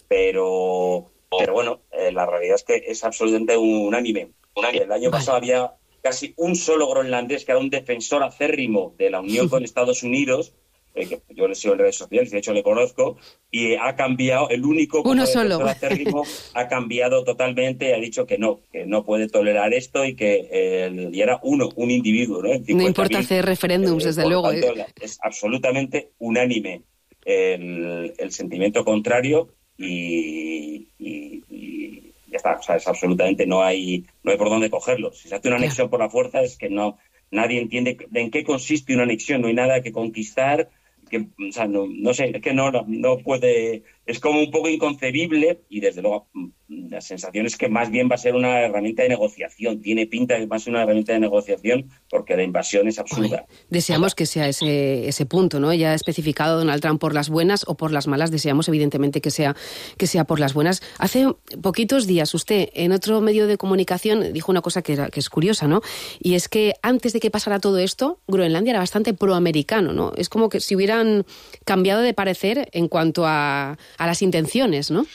Pero, pero bueno, eh, la realidad es que es absolutamente unánime. El año pasado vale. había casi un solo groenlandés que era un defensor acérrimo de la unión con Estados Unidos, eh, que yo le sigo en redes sociales, de hecho le conozco, y ha cambiado, el único como Uno defensor solo. acérrimo ha cambiado totalmente, ha dicho que no, que no puede tolerar esto y que eh, y era uno, un individuo, ¿no? No importa hacer referéndums, eh, desde luego. Tanto, eh. Es absolutamente unánime el, el sentimiento contrario y, y, y ya está, o sea, es absolutamente, no hay no hay por dónde cogerlo. Si se hace una anexión por la fuerza es que no nadie entiende en qué consiste una anexión, no hay nada que conquistar, que, o sea, no, no sé, es que no, no, no puede, es como un poco inconcebible y desde luego la sensación es que más bien va a ser una herramienta de negociación, tiene pinta de que va a ser una herramienta de negociación porque la invasión es absurda. Ay, deseamos que sea ese, ese punto, ¿no? Ya ha especificado Donald Trump por las buenas o por las malas, deseamos evidentemente que sea, que sea por las buenas. Hace poquitos días usted en otro medio de comunicación dijo una cosa que, era, que es curiosa, ¿no? Y es que antes de que pasara todo esto, Groenlandia era bastante proamericano, ¿no? Es como que si hubieran cambiado de parecer en cuanto a, a las intenciones, ¿no?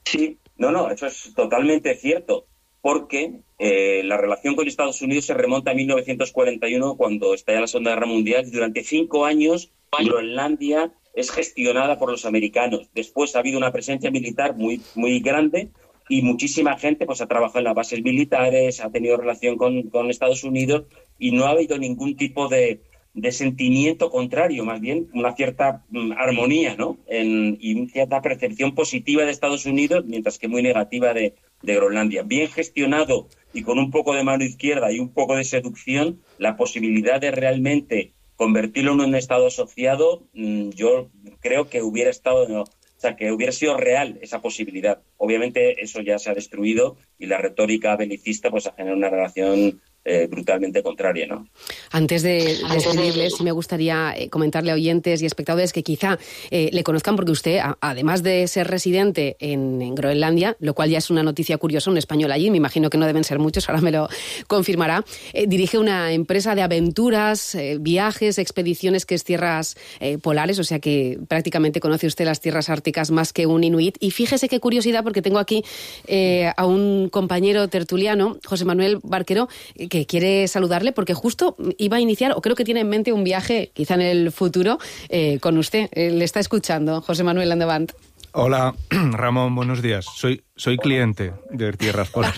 Sí. No, no, eso es totalmente cierto, porque eh, la relación con Estados Unidos se remonta a mil novecientos cuarenta y uno, cuando estalla la Segunda Guerra Mundial, y durante cinco años Groenlandia es gestionada por los americanos. Después ha habido una presencia militar muy, muy grande y muchísima gente pues ha trabajado en las bases militares, ha tenido relación con, con Estados Unidos y no ha habido ningún tipo de... de sentimiento contrario, más bien una cierta mm, armonía, ¿no? En, y una cierta percepción positiva de Estados Unidos, mientras que muy negativa de, de Groenlandia. Bien gestionado y con un poco de mano izquierda y un poco de seducción, la posibilidad de realmente convertirlo en un Estado asociado, mmm, yo creo que hubiera estado... No, o sea, que hubiera sido real esa posibilidad. Obviamente eso ya se ha destruido y la retórica belicista pues ha generado una relación eh, brutalmente contraria, ¿no? Antes de despedirles, sí me gustaría eh, comentarle a oyentes y espectadores que quizá eh, le conozcan porque usted, a, además de ser residente en, en Groenlandia, lo cual ya es una noticia curiosa, un español allí, me imagino que no deben ser muchos, ahora me lo confirmará, eh, dirige una empresa de aventuras, eh, viajes, expediciones que es tierras eh, polares, o sea que prácticamente conoce usted las tierras árticas más que un inuit. Y fíjese qué curiosidad, porque tengo aquí eh, a un compañero tertuliano, José Manuel Barquero, que quiere saludarle porque justo iba a iniciar, o creo que tiene en mente un viaje, quizá en el futuro, eh, con usted. Eh, le está escuchando. José Manuel, endavant. Hola, Ramón, buenos días. Soy, soy cliente de Tierras Polares.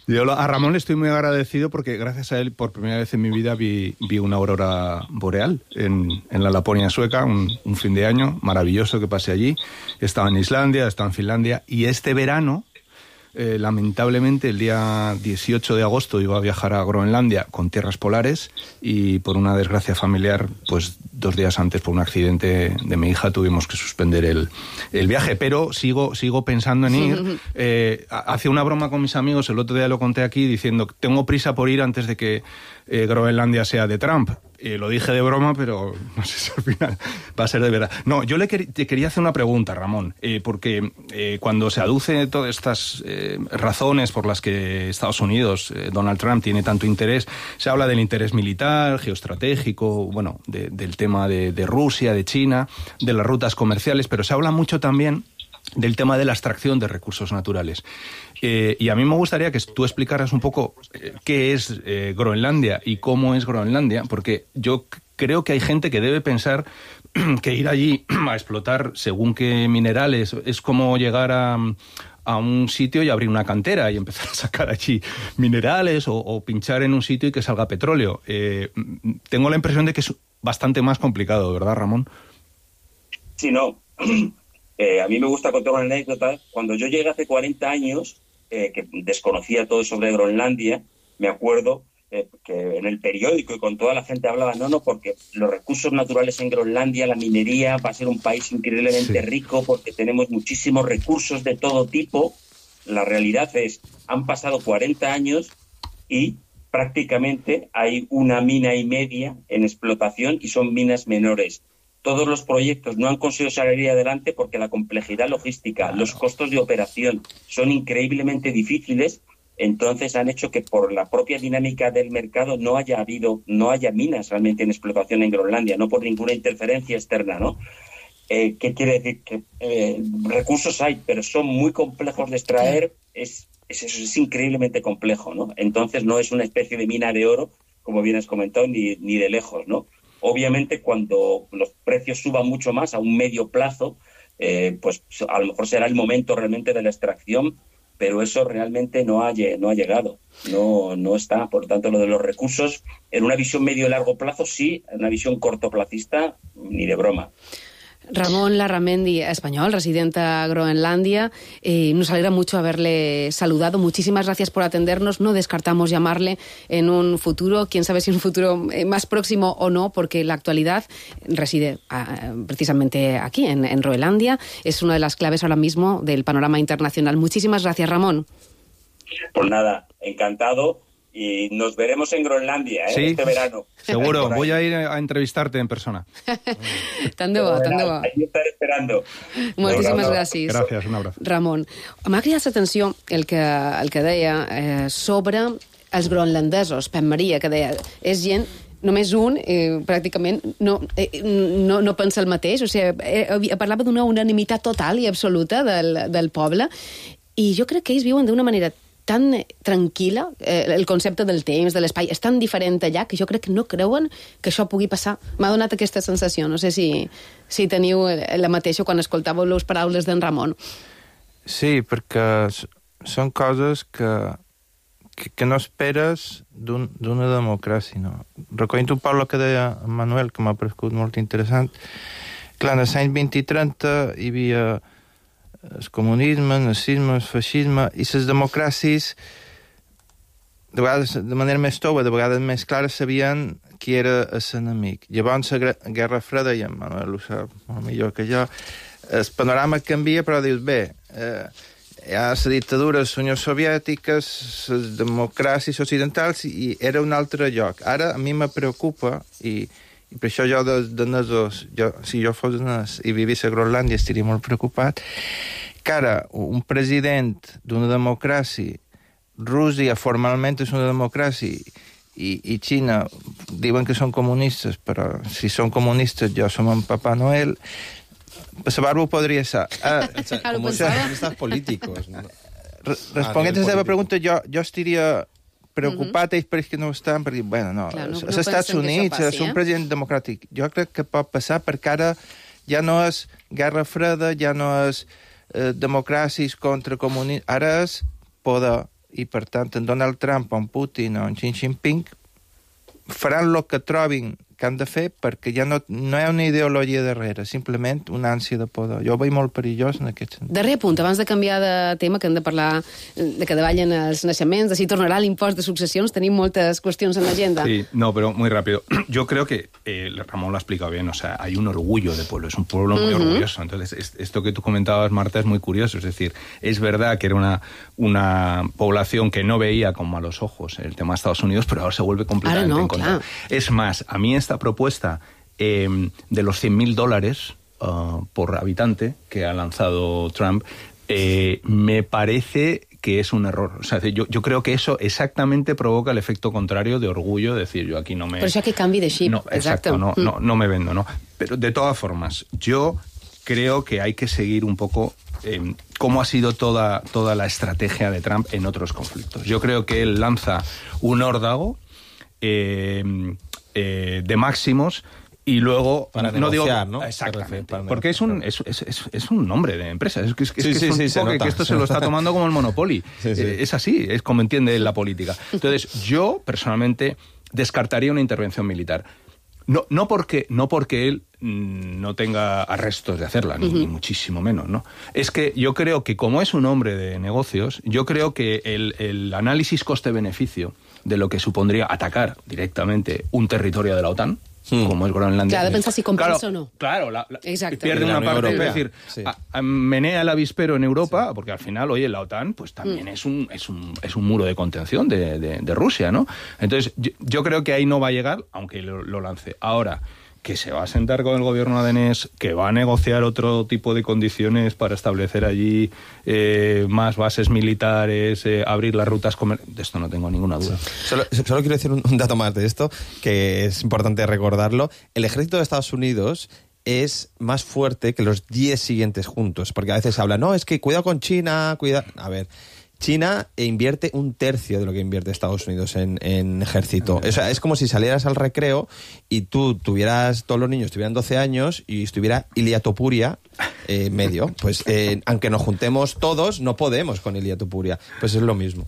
Yo a Ramón le estoy muy agradecido porque gracias a él, por primera vez en mi vida, vi, vi una aurora boreal en, en la Laponia sueca, un, un fin de año maravilloso que pasé allí. Estaba en Islandia, estaba en Finlandia, y este verano, eh, lamentablemente, el día dieciocho de agosto iba a viajar a Groenlandia con tierras polares y por una desgracia familiar, pues dos días antes, por un accidente de mi hija, tuvimos que suspender el, el viaje, pero sigo, sigo pensando en ir. Eh, hacía una broma con mis amigos, el otro día lo conté aquí, diciendo que tengo prisa por ir antes de que eh, Groenlandia sea de Trump. Eh, lo dije de broma, pero no sé si al final va a ser de verdad. No, yo le quer- te quería hacer una pregunta, Ramón, eh, porque eh, cuando se aduce todas estas eh, razones por las que Estados Unidos, eh, Donald Trump, tiene tanto interés, se habla del interés militar, geoestratégico, bueno, de, del tema de, de Rusia, de China, de las rutas comerciales, pero se habla mucho también del tema de la extracción de recursos naturales. Eh, y a mí me gustaría que tú explicaras un poco eh, qué es eh, Groenlandia y cómo es Groenlandia, porque yo c- creo que hay gente que debe pensar que ir allí a explotar según qué minerales es como llegar a, a un sitio y abrir una cantera y empezar a sacar allí minerales o, o pinchar en un sitio y que salga petróleo. Eh, tengo la impresión de que es bastante más complicado, ¿verdad, Ramón? Sí, no. Eh, a mí me gusta contar una anécdota. Cuando yo llegué hace cuarenta años, eh, que desconocía todo sobre Groenlandia, me acuerdo eh, que en el periódico y con toda la gente hablaba, no, no, porque los recursos naturales en Groenlandia, la minería, va a ser un país increíblemente sí. rico porque tenemos muchísimos recursos de todo tipo. La realidad es, han pasado cuarenta años y prácticamente hay una mina y media en explotación y son minas menores. Todos los proyectos no han conseguido salir adelante porque la complejidad logística, los costos de operación son increíblemente difíciles, entonces han hecho que por la propia dinámica del mercado no haya habido, no haya minas realmente en explotación en Groenlandia, no por ninguna interferencia externa, ¿no? Eh, ¿Qué quiere decir? Que eh, recursos hay, pero son muy complejos de extraer, es, es, es increíblemente complejo, ¿no? Entonces no es una especie de mina de oro, como bien has comentado, ni, ni de lejos, ¿no? Obviamente, cuando los precios suban mucho más a un medio plazo, eh, pues a lo mejor será el momento realmente de la extracción, pero eso realmente no ha, no ha llegado, no, no está. Por tanto, lo de los recursos, en una visión medio y largo plazo, sí, en una visión cortoplacista, ni de broma. Ramón Larramendi, español, residente a Groenlandia. Eh, nos alegra mucho haberle saludado. Muchísimas gracias por atendernos. No descartamos llamarle en un futuro, quién sabe si un futuro más próximo o no, porque la actualidad reside uh, precisamente aquí, en, en Groenlandia. Es una de las claves ahora mismo del panorama internacional. Muchísimas gracias, Ramón. Pues nada, encantado. Y nos veremos en Groenlandia, ¿eh? Sí, este verano. Seguro, voy a ir a entrevistarte en persona. Tant de bo, tant de bo. Ahí estaré esperando. Moltíssimes gràcies. Gràcies, un abraç. Ramon, m'ha cridat l'atenció el que, el que deia eh, sobre els groenlandesos, Pep Maria, que deia, és gent només un, eh, pràcticament, no, eh, no, no pensa el mateix, o sigui, eh, parlava d'una unanimitat total i absoluta del, del poble, i jo crec que ells viuen d'una manera tan tranquil·la, eh, el concepte del temps, de l'espai, és tan diferent allà que jo crec que no creuen que això pugui passar. M'ha donat aquesta sensació. No sé si, si teniu la mateixa quan escoltàveu les paraules d'en Ramon. Sí, perquè són coses que, que, que no esperes d'un, d'una democràcia. No? Recollint un poc el que deia en Manuel, que m'ha paregut molt interessant, clar, en els anys vint i trenta hi havia el comunisme, el nazisme, el feixisme, i les democràcies, de vegades de manera més tova, de vegades més clara, sabien qui era l'enemic. Llavors, la Guerra Freda, i en Manuel ho sap molt millor que jo, el panorama canvia, però dius, bé, eh, hi ha la dictadura de la Unió Soviètica, les democràcies occidentals, i era un altre lloc. Ara a mi me preocupa, i, i per això jo de, de nesos, jo, si jo fos nes i vivís a Groenlàndia estaria molt preocupat, que ara un president d'una democràcia, Rússia formalment és una democràcia, i, i Xina diuen que són comunistes, però si són comunistes jo som en Papà Noel. Per la barba ho podria ser. Uh, comunistes políticos. ¿No? Responent a la teva pregunta, jo, jo estaria preocupat, ells per que no estan, perquè, bueno, no, Clar, no, als no Estats Units passi, és un eh? president democràtic. Jo crec que pot passar perquè ara ja no és guerra freda, ja no és eh, democràcies contra comunistes, ara és poder. I, per tant, en Donald Trump, en Putin o en Xi Jinping faran el que trobin que han de fer, perquè ja no, no hi ha una ideologia darrere, simplement una ànsia de poder. Jo ho veig molt perillós en aquest sentit. Darrer punt, abans de canviar de tema, que hem de parlar de que davallen els naixements, de si tornarà l'impost de successions, tenim moltes qüestions en l'agenda. Sí, no, pero muy rápido. Yo creo que eh, Ramón lo ha explicado bien, o sea, hay un orgullo de pueblo, es un pueblo muy uh-huh. orgulloso. Entonces, es, esto que tú comentabas, Marta, es muy curioso. Es decir, es verdad que era una, una población que no veía con malos ojos el tema de Estados Unidos, pero ahora se vuelve completamente no, en contra. claro. Es más, a mí esta propuesta eh, de los cien mil dólares uh, por habitante que ha lanzado Trump, eh, me parece que es un error. O sea, yo, yo creo que eso exactamente provoca el efecto contrario de orgullo, de decir, yo aquí no me... Por això que canvi de xip. No, exacto, no, no, no me vendo, ¿no? Pero de todas formas, yo creo que hay que seguir un poco eh, cómo ha sido toda, toda la estrategia de Trump en otros conflictos. Yo creo que él lanza un órdago eh, eh, de máximos y luego para no negociar, digo, ¿no? Exactamente, Para porque es un es, es, es, es un nombre de empresa, es que es, que sí, es, sí, que es sí, un se poco nota, que esto se se lo nota. está tomando como el Monopoly. Sí, sí. Eh, es así, es como entiende la política. Entonces, yo personalmente descartaría una intervención militar. No, no porque no porque él mmm, no tenga arrestos de hacerla, ni, uh-huh. ni muchísimo menos, ¿no? Es que yo creo que como es un hombre de negocios, yo creo que el, el análisis coste-beneficio de lo que supondría atacar directamente un territorio de la OTAN, Hmm. como es Groenlandia. Claro, de pensar si compensa claro, o no. Claro, la, la, Exacto. pierde una parte, Europea. es decir, Sí. a, a, menea el avispero en Europa, sí. porque al final, oye, la OTAN pues también Mm. es un es un es un muro de contención de, de, de Rusia, ¿no? Entonces, yo, yo creo que ahí no va a llegar, aunque lo, lo lance. Ahora, que se va a sentar con el gobierno danés, que va a negociar otro tipo de condiciones para establecer allí eh, más bases militares, eh, abrir las rutas comerciales. De esto no tengo ninguna duda. Solo, solo quiero decir un, un dato más de esto, que es importante recordarlo. El ejército de Estados Unidos es más fuerte que los diez siguientes juntos, porque a veces se habla, no, es que cuidado con China, cuidado... A ver... China invierte un tercio de lo que invierte Estados Unidos en, en ejército. O sea, es como si salieras al recreo y tú tuvieras, todos los niños tuvieran doce años y estuviera Ilia Topuria eh, medio. Pues eh, aunque nos juntemos todos, no podemos con Ilia Topuria. Pues es lo mismo.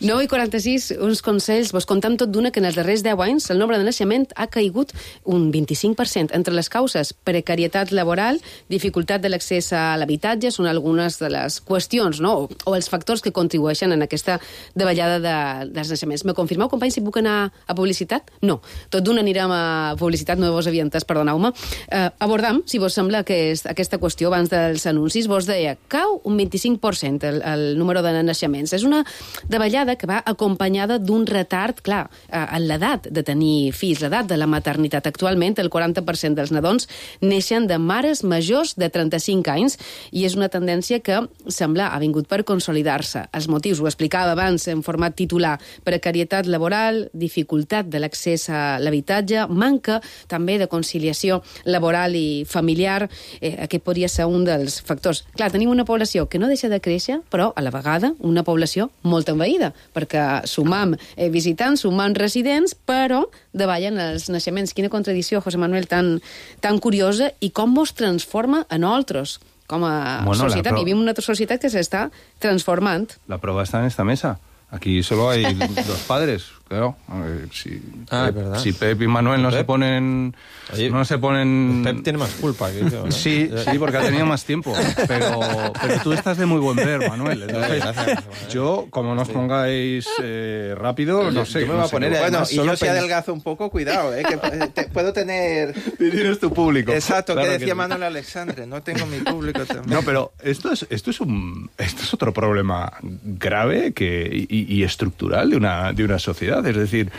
nou i quaranta-sis, uns consells. Vos contem tot d'una que en els darrers deu anys el nombre de naixement ha caigut un vint-i-cinc per cent. Entre les causes, precarietat laboral, dificultat de l'accés a l'habitatge, són algunes de les qüestions, no? o, o els factors que contribueixen en aquesta davallada de, dels naixements. Me confirmeu, companys, si puc anar a publicitat? No. Tot d'una anirem a publicitat, no vos havia entès, perdoneu-me. Eh, abordam, si vos sembla que és aquesta qüestió abans dels anuncis, vos deia, cau un vint-i-cinc per cent el, el número de naixements. És una davallada que va acompanyada d'un retard, clar, en l'edat de tenir fills, l'edat de la maternitat. Actualment, el quaranta per cent dels nadons neixen de mares majors de trenta-cinc anys i és una tendència que sembla ha vingut per consolidar-se. Els motius, ho explicava abans en format titular, precarietat laboral, dificultat de l'accés a l'habitatge, manca també de conciliació laboral i familiar. Eh, aquest podria ser un dels factors. Clar, tenim una població que no deixa de créixer, però a la vegada una població molt envaïda, perquè sumam eh, visitants, sumam residents, però davallen els naixements. Quina contradicció, José Manuel, tan, tan curiosa, i com mos transforma a nosaltres. Com a bueno, societat, pro... vivim una altra societat que s'està transformant. La prueba está en esta mesa. Aquí solo hay dos padres. Claro, a ver, si, Ah, Pep, es verdad. si Pep y Manuel no Pep. se ponen... Oye, no se ponen... Pep tiene más culpa que yo, ¿no? Sí, sí, porque ha tenido más tiempo. Pero, pero tú estás de muy buen ver, Manuel. Entonces, Gracias. yo, como nos pongáis eh, rápido, no sé. Yo me no voy a sé poner qué- ahí. Bueno, Además, y yo solo si pens- adelgazo un poco, cuidado, ¿eh? Que te- puedo tener... Tienes tu público. Exacto, Claro que que decía sí. Manuel Alexandre, no tengo mi público también. No, pero esto es, esto es un esto es otro problema grave que, y, y estructural de una, de una sociedad. Es decir,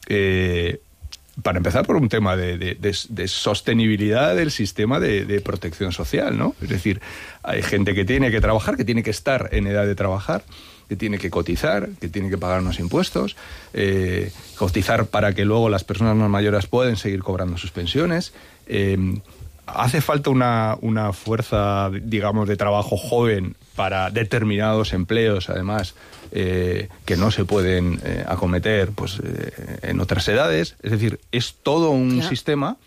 eh, para empezar por un tema de, de- de- de sostenibilidad del sistema de, de protección social, ¿no? Es decir, hay gente que tiene que trabajar, que tiene que estar en edad de trabajar, que tiene que cotizar, que tiene que pagar unos impuestos, eh, cotizar para que luego las personas más mayores puedan seguir cobrando sus pensiones. Eh, hace falta una, una fuerza, digamos, de trabajo joven para determinados empleos, además, eh, que no se pueden eh, acometer pues, eh, en otras edades. Es decir, es todo un Claro. sistema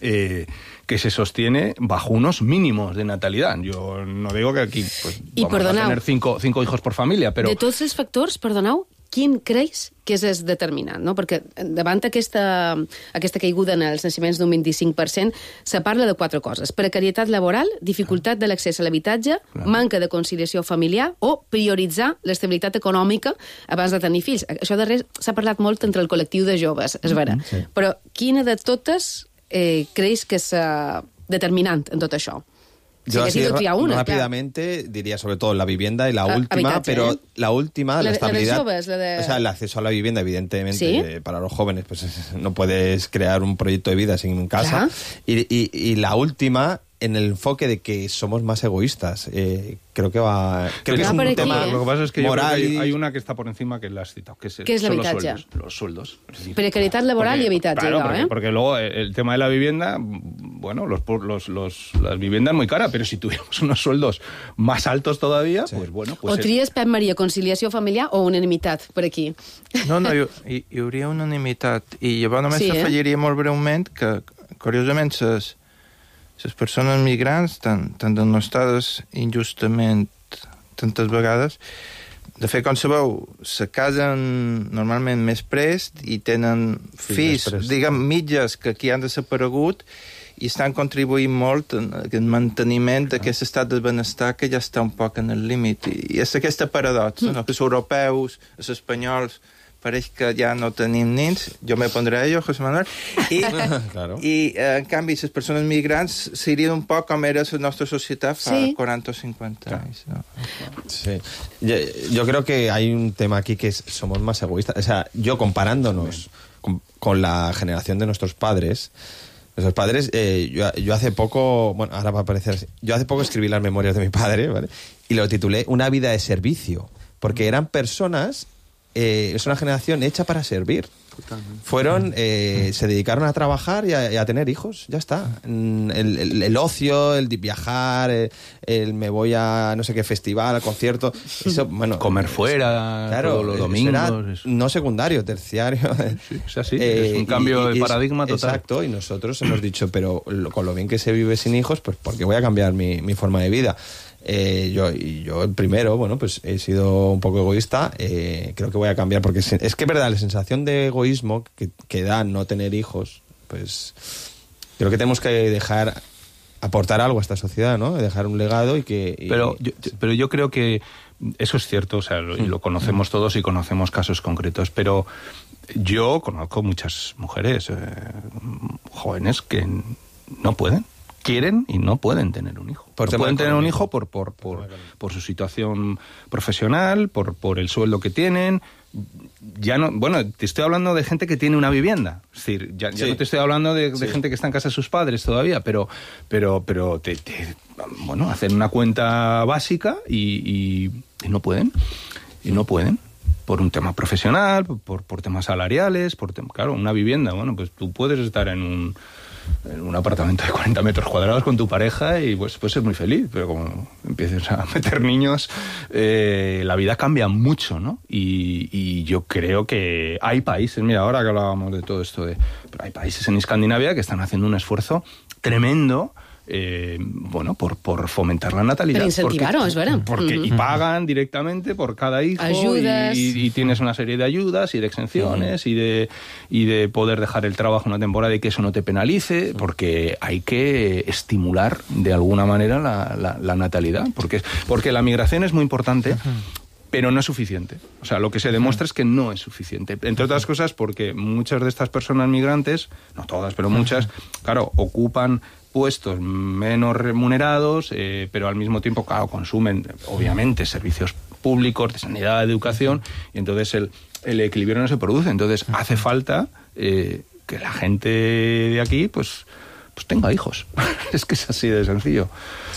eh, que se sostiene bajo unos mínimos de natalidad. Yo no digo que aquí pues, I vamos perdoneu. a tener cinco, cinco hijos por familia, però... De tots els factors, perdoneu, quin creus que és el determinant? No? Perquè davant aquesta, aquesta caiguda en els naixements d'un vint-i-cinc per cent se parla de quatre coses. Precarietat laboral, dificultat de l'accés a l'habitatge, manca de conciliació familiar o prioritzar l'estabilitat econòmica abans de tenir fills. Això darrer s'ha parlat molt entre el col·lectiu de joves, és vera. Sí. Però quina de totes eh, creus que és eh, determinant en tot això? Yo Si así necesito triar una, rápidamente diría sobre todo la vivienda y la Ah, última, habitatge, pero ¿eh? la última, La la, de- la de estabilidad. jóvenes, la de- O sea, el acceso a la vivienda, evidentemente, ¿Sí? eh, para los jóvenes, pues es- no puedes crear un proyecto de vida sin casa. Claro. Y, y- y la última, en el enfoque de que somos más egoístas. Eh, creo que va. Creo que es Va un por aquí, tema ¿eh? Lo que pasa es que yo creo que moral. hay, y- hay una que está por encima que la has citado, que es, el- ¿Qué es son los l'habitatge? sueldos. Los sueldos. Es decir, Precarietat laboral porque- i habitatge, claro, allò, porque, eh? porque luego el, el tema de la vivienda, bueno, los, los, los, las viviendas muy caras, pero si tuviéramos unos sueldos más altos todavía, pues bueno, pues O es- tries, Pep Maria, conciliació familiar o unanimitat per aquí? No, no, hi, hi, hi hauria unanimitat. I llavors només Sí, sí, eh? afegiria molt breument que, curiosament, les, les persones migrants, tan, tan denostades injustament tantes vegades, de fet, com sabeu, se casen normalment més prest i tenen Sí, fills, més prest. diguem, mitges que aquí han desaparegut i estan contribuint molt en el manteniment d'aquest estat de benestar que ja està un poc en el límit. I és aquesta paradoxa, no? Que els europeus, els espanyols, pareix que ja no tenim nins, jo me pondré a ello, José Manuel, i, Claro. i eh, en canvi les persones migrants serien un poc com era la nostra societat fa Sí. quaranta o cinquanta anys. No? Sí. Yo, yo creo que hay un tema aquí que es, somos más egoístas. O sea, yo comparándonos con, con la generación de nuestros padres, nuestros padres, eh, yo, yo hace poco, bueno, ahora va a aparecer así, yo hace poco escribí las memorias de mi padre, ¿vale? Y lo titulé Una vida de servicio, porque eran personas, eh, es una generación hecha para servir. Fueron, eh, se dedicaron a trabajar y a, y a tener hijos, ya está. Mm, El, el- el ocio, el de viajar, el, el me voy a no sé qué festival, al concierto, eso, bueno... Comer fuera claro, todos los eso domingos, era eso. no secundario, terciario. Sí, es así, es un cambio de es- paradigma total. Exacto, y nosotros hemos dicho, pero lo- con lo bien que se vive sin hijos, pues ¿por qué voy a cambiar mi, mi forma de vida? Eh, yo, y yo el primero, bueno, pues he sido un poco egoísta, eh, creo que voy a cambiar, porque es, es que es verdad, la sensación de egoísmo que, que da no tener hijos, pues creo que tenemos que dejar, aportar algo a esta sociedad, ¿no? Dejar un legado y que... y- Pero yo, pero yo creo que eso es cierto, o sea, lo, y lo conocemos todos y conocemos casos concretos, pero yo conozco muchas mujeres eh, jóvenes que no pueden, quieren y no pueden tener un hijo. Por no tema pueden tener un económico. hijo por, por, por, por su situación profesional, por, por el sueldo que tienen. Ya no, bueno, te estoy hablando de gente que tiene una vivienda. Es decir, ya, ya Sí. no te estoy hablando de, de Sí. gente que está en casa de sus padres todavía, pero, pero, pero te, te- bueno, hacen una cuenta básica y, y- y no pueden. Y no pueden. Por un tema profesional, por, por temas salariales, por tem- claro, una vivienda. Bueno, pues tú puedes estar en un, en un apartamento de cuarenta metros cuadrados con tu pareja y pues puedes ser muy feliz, pero como empieces a meter niños, eh, la vida cambia mucho, ¿no? Y, y yo creo que hay países, mira, ahora que hablábamos de todo esto, de, pero hay países en Escandinavia que están haciendo un esfuerzo tremendo Eh, bueno, por, por fomentar la natalidad. Per incentivar-ho, és vera. Porque, uh-huh. Y pagan directamente por cada hijo. Ayudas. Y, y tienes una serie de ayudas y de exenciones uh-huh. y, de, y de poder dejar el trabajo una temporada y que eso no te penalice, porque hay que estimular de alguna manera la, la, la natalidad. Porque, porque la migración es muy importante. Uh-huh. Pero no es suficiente. O sea, lo que se demuestra es que no es suficiente. Entre otras cosas porque muchas de estas personas migrantes, no todas, pero muchas, claro, ocupan puestos menos remunerados, eh, pero al mismo tiempo, claro, consumen, obviamente, servicios públicos, de sanidad, de educación, y entonces el, el equilibrio no se produce. Entonces hace falta eh, que la gente de aquí, pues, pues tenga hijos. És que és així de senzill.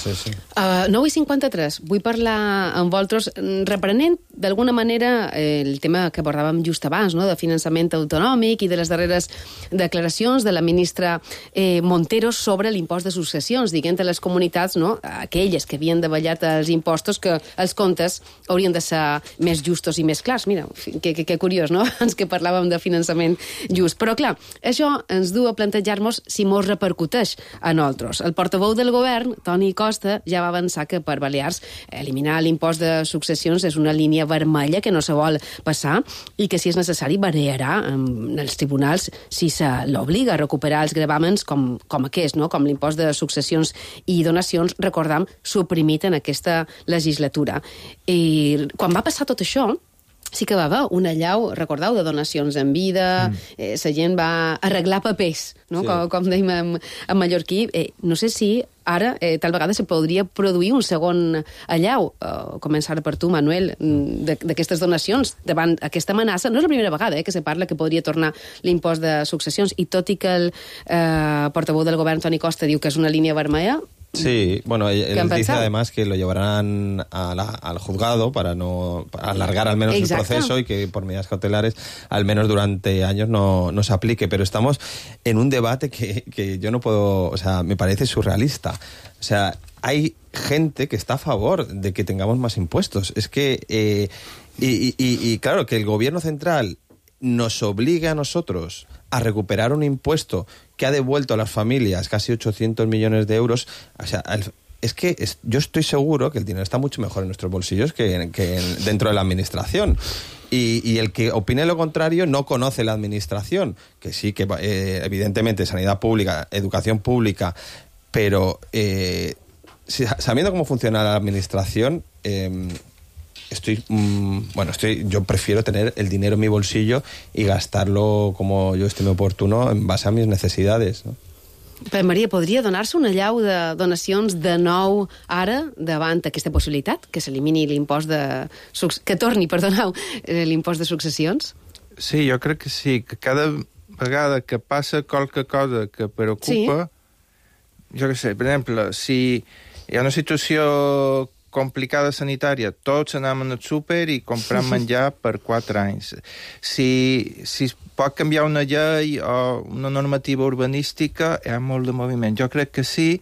Sí, sí. Uh, nou i cinquanta-tres. Vull parlar amb vosaltres, reprenent d'alguna manera eh, el tema que abordàvem just abans, no?, de finançament autonòmic i de les darreres declaracions de la ministra eh, Montero sobre l'impost de successions, diguent a les comunitats, no?, aquelles que havien davallat els impostos, que els comptes haurien de ser més justos i més clars. Mira, que, que, que curiós, no?, ens que parlàvem de finançament just. Però, clar, això ens du a plantejar-nos si mos repercuteix a nosaltres. El portaveu del govern, Toni Costa, ja va avançar que per Balears eliminar l'impost de successions és una línia vermella que no se vol passar i que, si és necessari, variarà en els tribunals si se l'obliga a recuperar els gravàmens com, com aquest, no?, com l'impost de successions i donacions, recordam, suprimit en aquesta legislatura. I quan va passar tot això, sí que va haver una allau, recordeu, de donacions en vida, mm. eh, la gent va arreglar papers, no?, sí. com, com dèiem en, en mallorquí. Eh, no sé si ara, eh, tal vegada, se podria produir un segon allau, eh, començar per tu, Manuel, d'aquestes donacions, davant aquesta amenaça. No és la primera vegada eh, que se parla que podria tornar l'impost de successions, i tot i que el eh, portaveu del govern, Toni Costa, diu que és una línia vermella. Sí, bueno, él, él dice además que lo llevarán a la, al juzgado para no para alargar al menos Exacto. el proceso y que por medidas cautelares al menos durante años no, no se aplique, pero estamos en un debate que, que yo no puedo, o sea, me parece surrealista. O sea, hay gente que está a favor de que tengamos más impuestos. Es que, eh, y, y, y claro, que el gobierno central nos obligue a nosotros a recuperar un impuesto que ha devuelto a las familias casi ochocientos millones de euros. O sea, es que es, yo estoy seguro que el dinero está mucho mejor en nuestros bolsillos que, que en, dentro de la administración. Y, y el que opine lo contrario no conoce la administración, que sí, que eh, evidentemente sanidad pública, educación pública, pero eh, sabiendo cómo funciona la administración, eh, estoy mmm, bueno estoy yo prefiero tener el dinero en mi bolsillo y gastarlo como yo estime oportuno en base a mis necesidades, no? Però, Maria, podria donar-se una allau de donacions de nou ara davant aquesta possibilitat, que s'elimini l'impost de... que torni, perdoneu, l'impost de successions? Sí, jo crec que sí, que cada vegada que passa qualque cosa que preocupa, sí. Jo què sé, per exemple, si hi ha una situació complicada sanitària, tots anem al súper i comprem menjar per quatre anys. Si, si es pot canviar una llei o una normativa urbanística, hi ha molt de moviment. Jo crec que sí,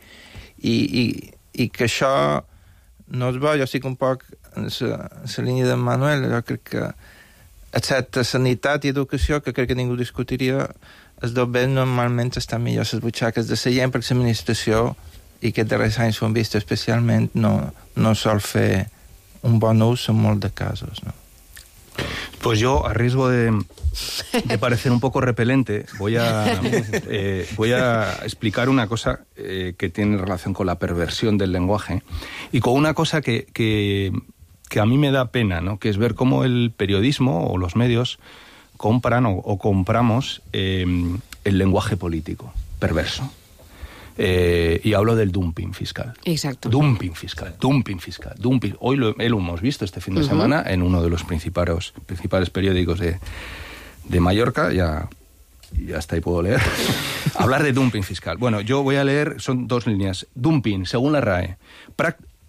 i, i, i que això no es va, jo estic un poc en la línia de Manuel, jo crec que excepte sanitat i educació, que crec que ningú discutiria, els dos béns normalment estan millor les butxaques de la gent, perquè l'administració, i aquests darrers anys ho hem vist especialment, no, no sol fer un bon ús en molts de casos, ¿no? Pues yo, a riesgo de, de parecer un poco repelente, voy a, eh, voy a explicar una cosa eh, que tiene relación con la perversión del lenguaje y con una cosa que, que, que a mí me da pena, ¿no?, que es ver cómo el periodismo o los medios compran o, o compramos eh, el lenguaje político perverso. Eh, y hablo del dumping fiscal. Exacto. Dumping fiscal, dumping fiscal, dumping. Hoy lo, lo hemos visto este fin de uh-huh. semana en uno de los principales, principales periódicos de, de Mallorca, ya, ya hasta ahí puedo leer, hablar de dumping fiscal. Bueno, yo voy a leer, son dos líneas. Dumping, según la R A E,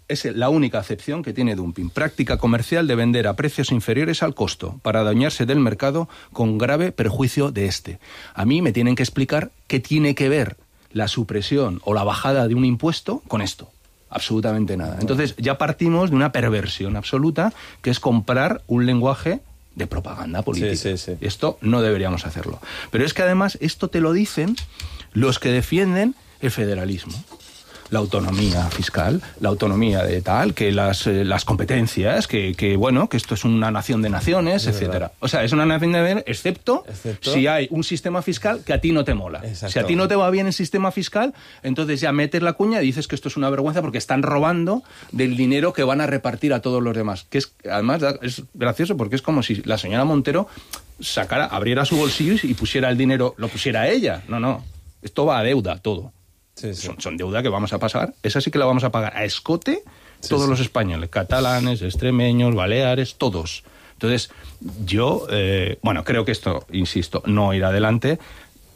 es la única acepción que tiene dumping. Práctica comercial de vender a precios inferiores al costo para adueñarse del mercado con grave perjuicio de este. A mí me tienen que explicar qué tiene que ver la supresión o la bajada de un impuesto con esto. Absolutamente nada. Entonces ya partimos de una perversión absoluta, que es comprar un lenguaje de propaganda política. Sí, sí, sí. Esto no deberíamos hacerlo. Pero es que además esto te lo dicen los que defienden el federalismo. la autonomía fiscal, la autonomía de tal, que las, eh, las competencias, que, que, bueno, que esto es una nación de naciones, es etcétera. Verdad. O sea, es una nación de naciones, excepto, excepto si hay un sistema fiscal que a ti no te mola. Exacto. Si a ti no te va bien el sistema fiscal, entonces ya metes la cuña y dices que esto es una vergüenza porque están robando del dinero que van a repartir a todos los demás. Que es, además, es gracioso porque es como si la señora Montero sacara, abriera su bolsillo y pusiera el dinero, lo pusiera a ella. No, no. Esto va a deuda, todo. Sí, sí. Son, son deuda que vamos a pasar. Esa sí que la vamos a pagar a escote todos sí, los sí. españoles, catalanes, extremeños, baleares, todos. Entonces, yo, eh, bueno, creo que esto, insisto, no irá adelante,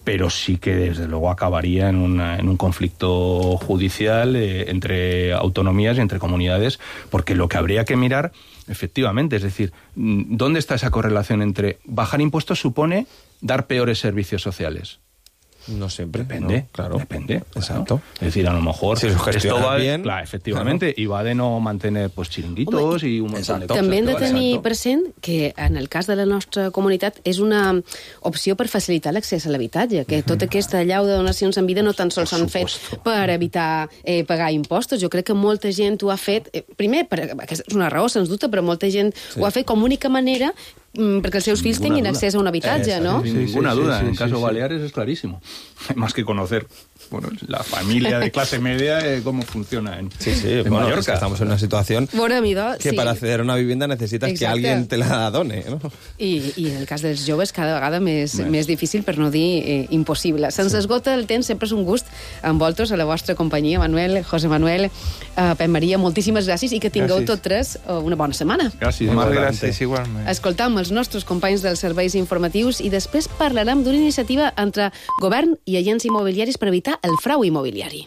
pero sí que desde luego acabaría en, una, en un conflicto judicial eh, entre autonomías y entre comunidades, porque lo que habría que mirar, efectivamente, es decir, ¿dónde está esa correlación entre bajar impuestos supone dar peores servicios sociales? No siempre. Depende, no, claro. Depende. Exacto. Claro. Es decir, a lo mejor si esto va bien, claro, efectivamente, claro. y va de no mantener pues chiringuitos Home, i un munt de coses. També hem de tenir present que en el cas de la nostra comunitat és una opció per facilitar l'accés a l'habitatge, que tota aquesta llau de donacions en vida no tan sols s'han fet per evitar eh, pagar impostos. Jo crec que molta gent ho ha fet, eh, primer, per, aquesta és una raó, sens dubte, però molta gent sí. ho ha fet com a única manera perquè els seus fills tinguin accés a un habitatge, ¿no? Sin ninguna sí, sí, duda. Sí, sí, en caso sí, Baleares sí. es clarísimo. Hay más que conocer bueno, la familia de clase media, eh, cómo funciona en, sí, sí, en bueno, Mallorca. Es que estamos en una situación bueno, amigo, que sí. para acceder a una vivienda necesitas Exacte. Que alguien te la done, ¿no? I, I en el cas dels joves cada vegada més, més. més difícil, per no dir eh, impossible. Se'ns sí. esgota el temps, sempre és un gust envoltos a la vostra companyia, Manuel, José Manuel, eh, Pep Maria, moltíssimes gràcies i que tingueu gràcies. Tots tres eh, una bona setmana. Gràcies. Moltes gràcies, igualment. Escoltam els nostres companys dels serveis informatius i després parlarem d'una iniciativa entre govern i agents immobiliaris per evitar el frau immobiliari.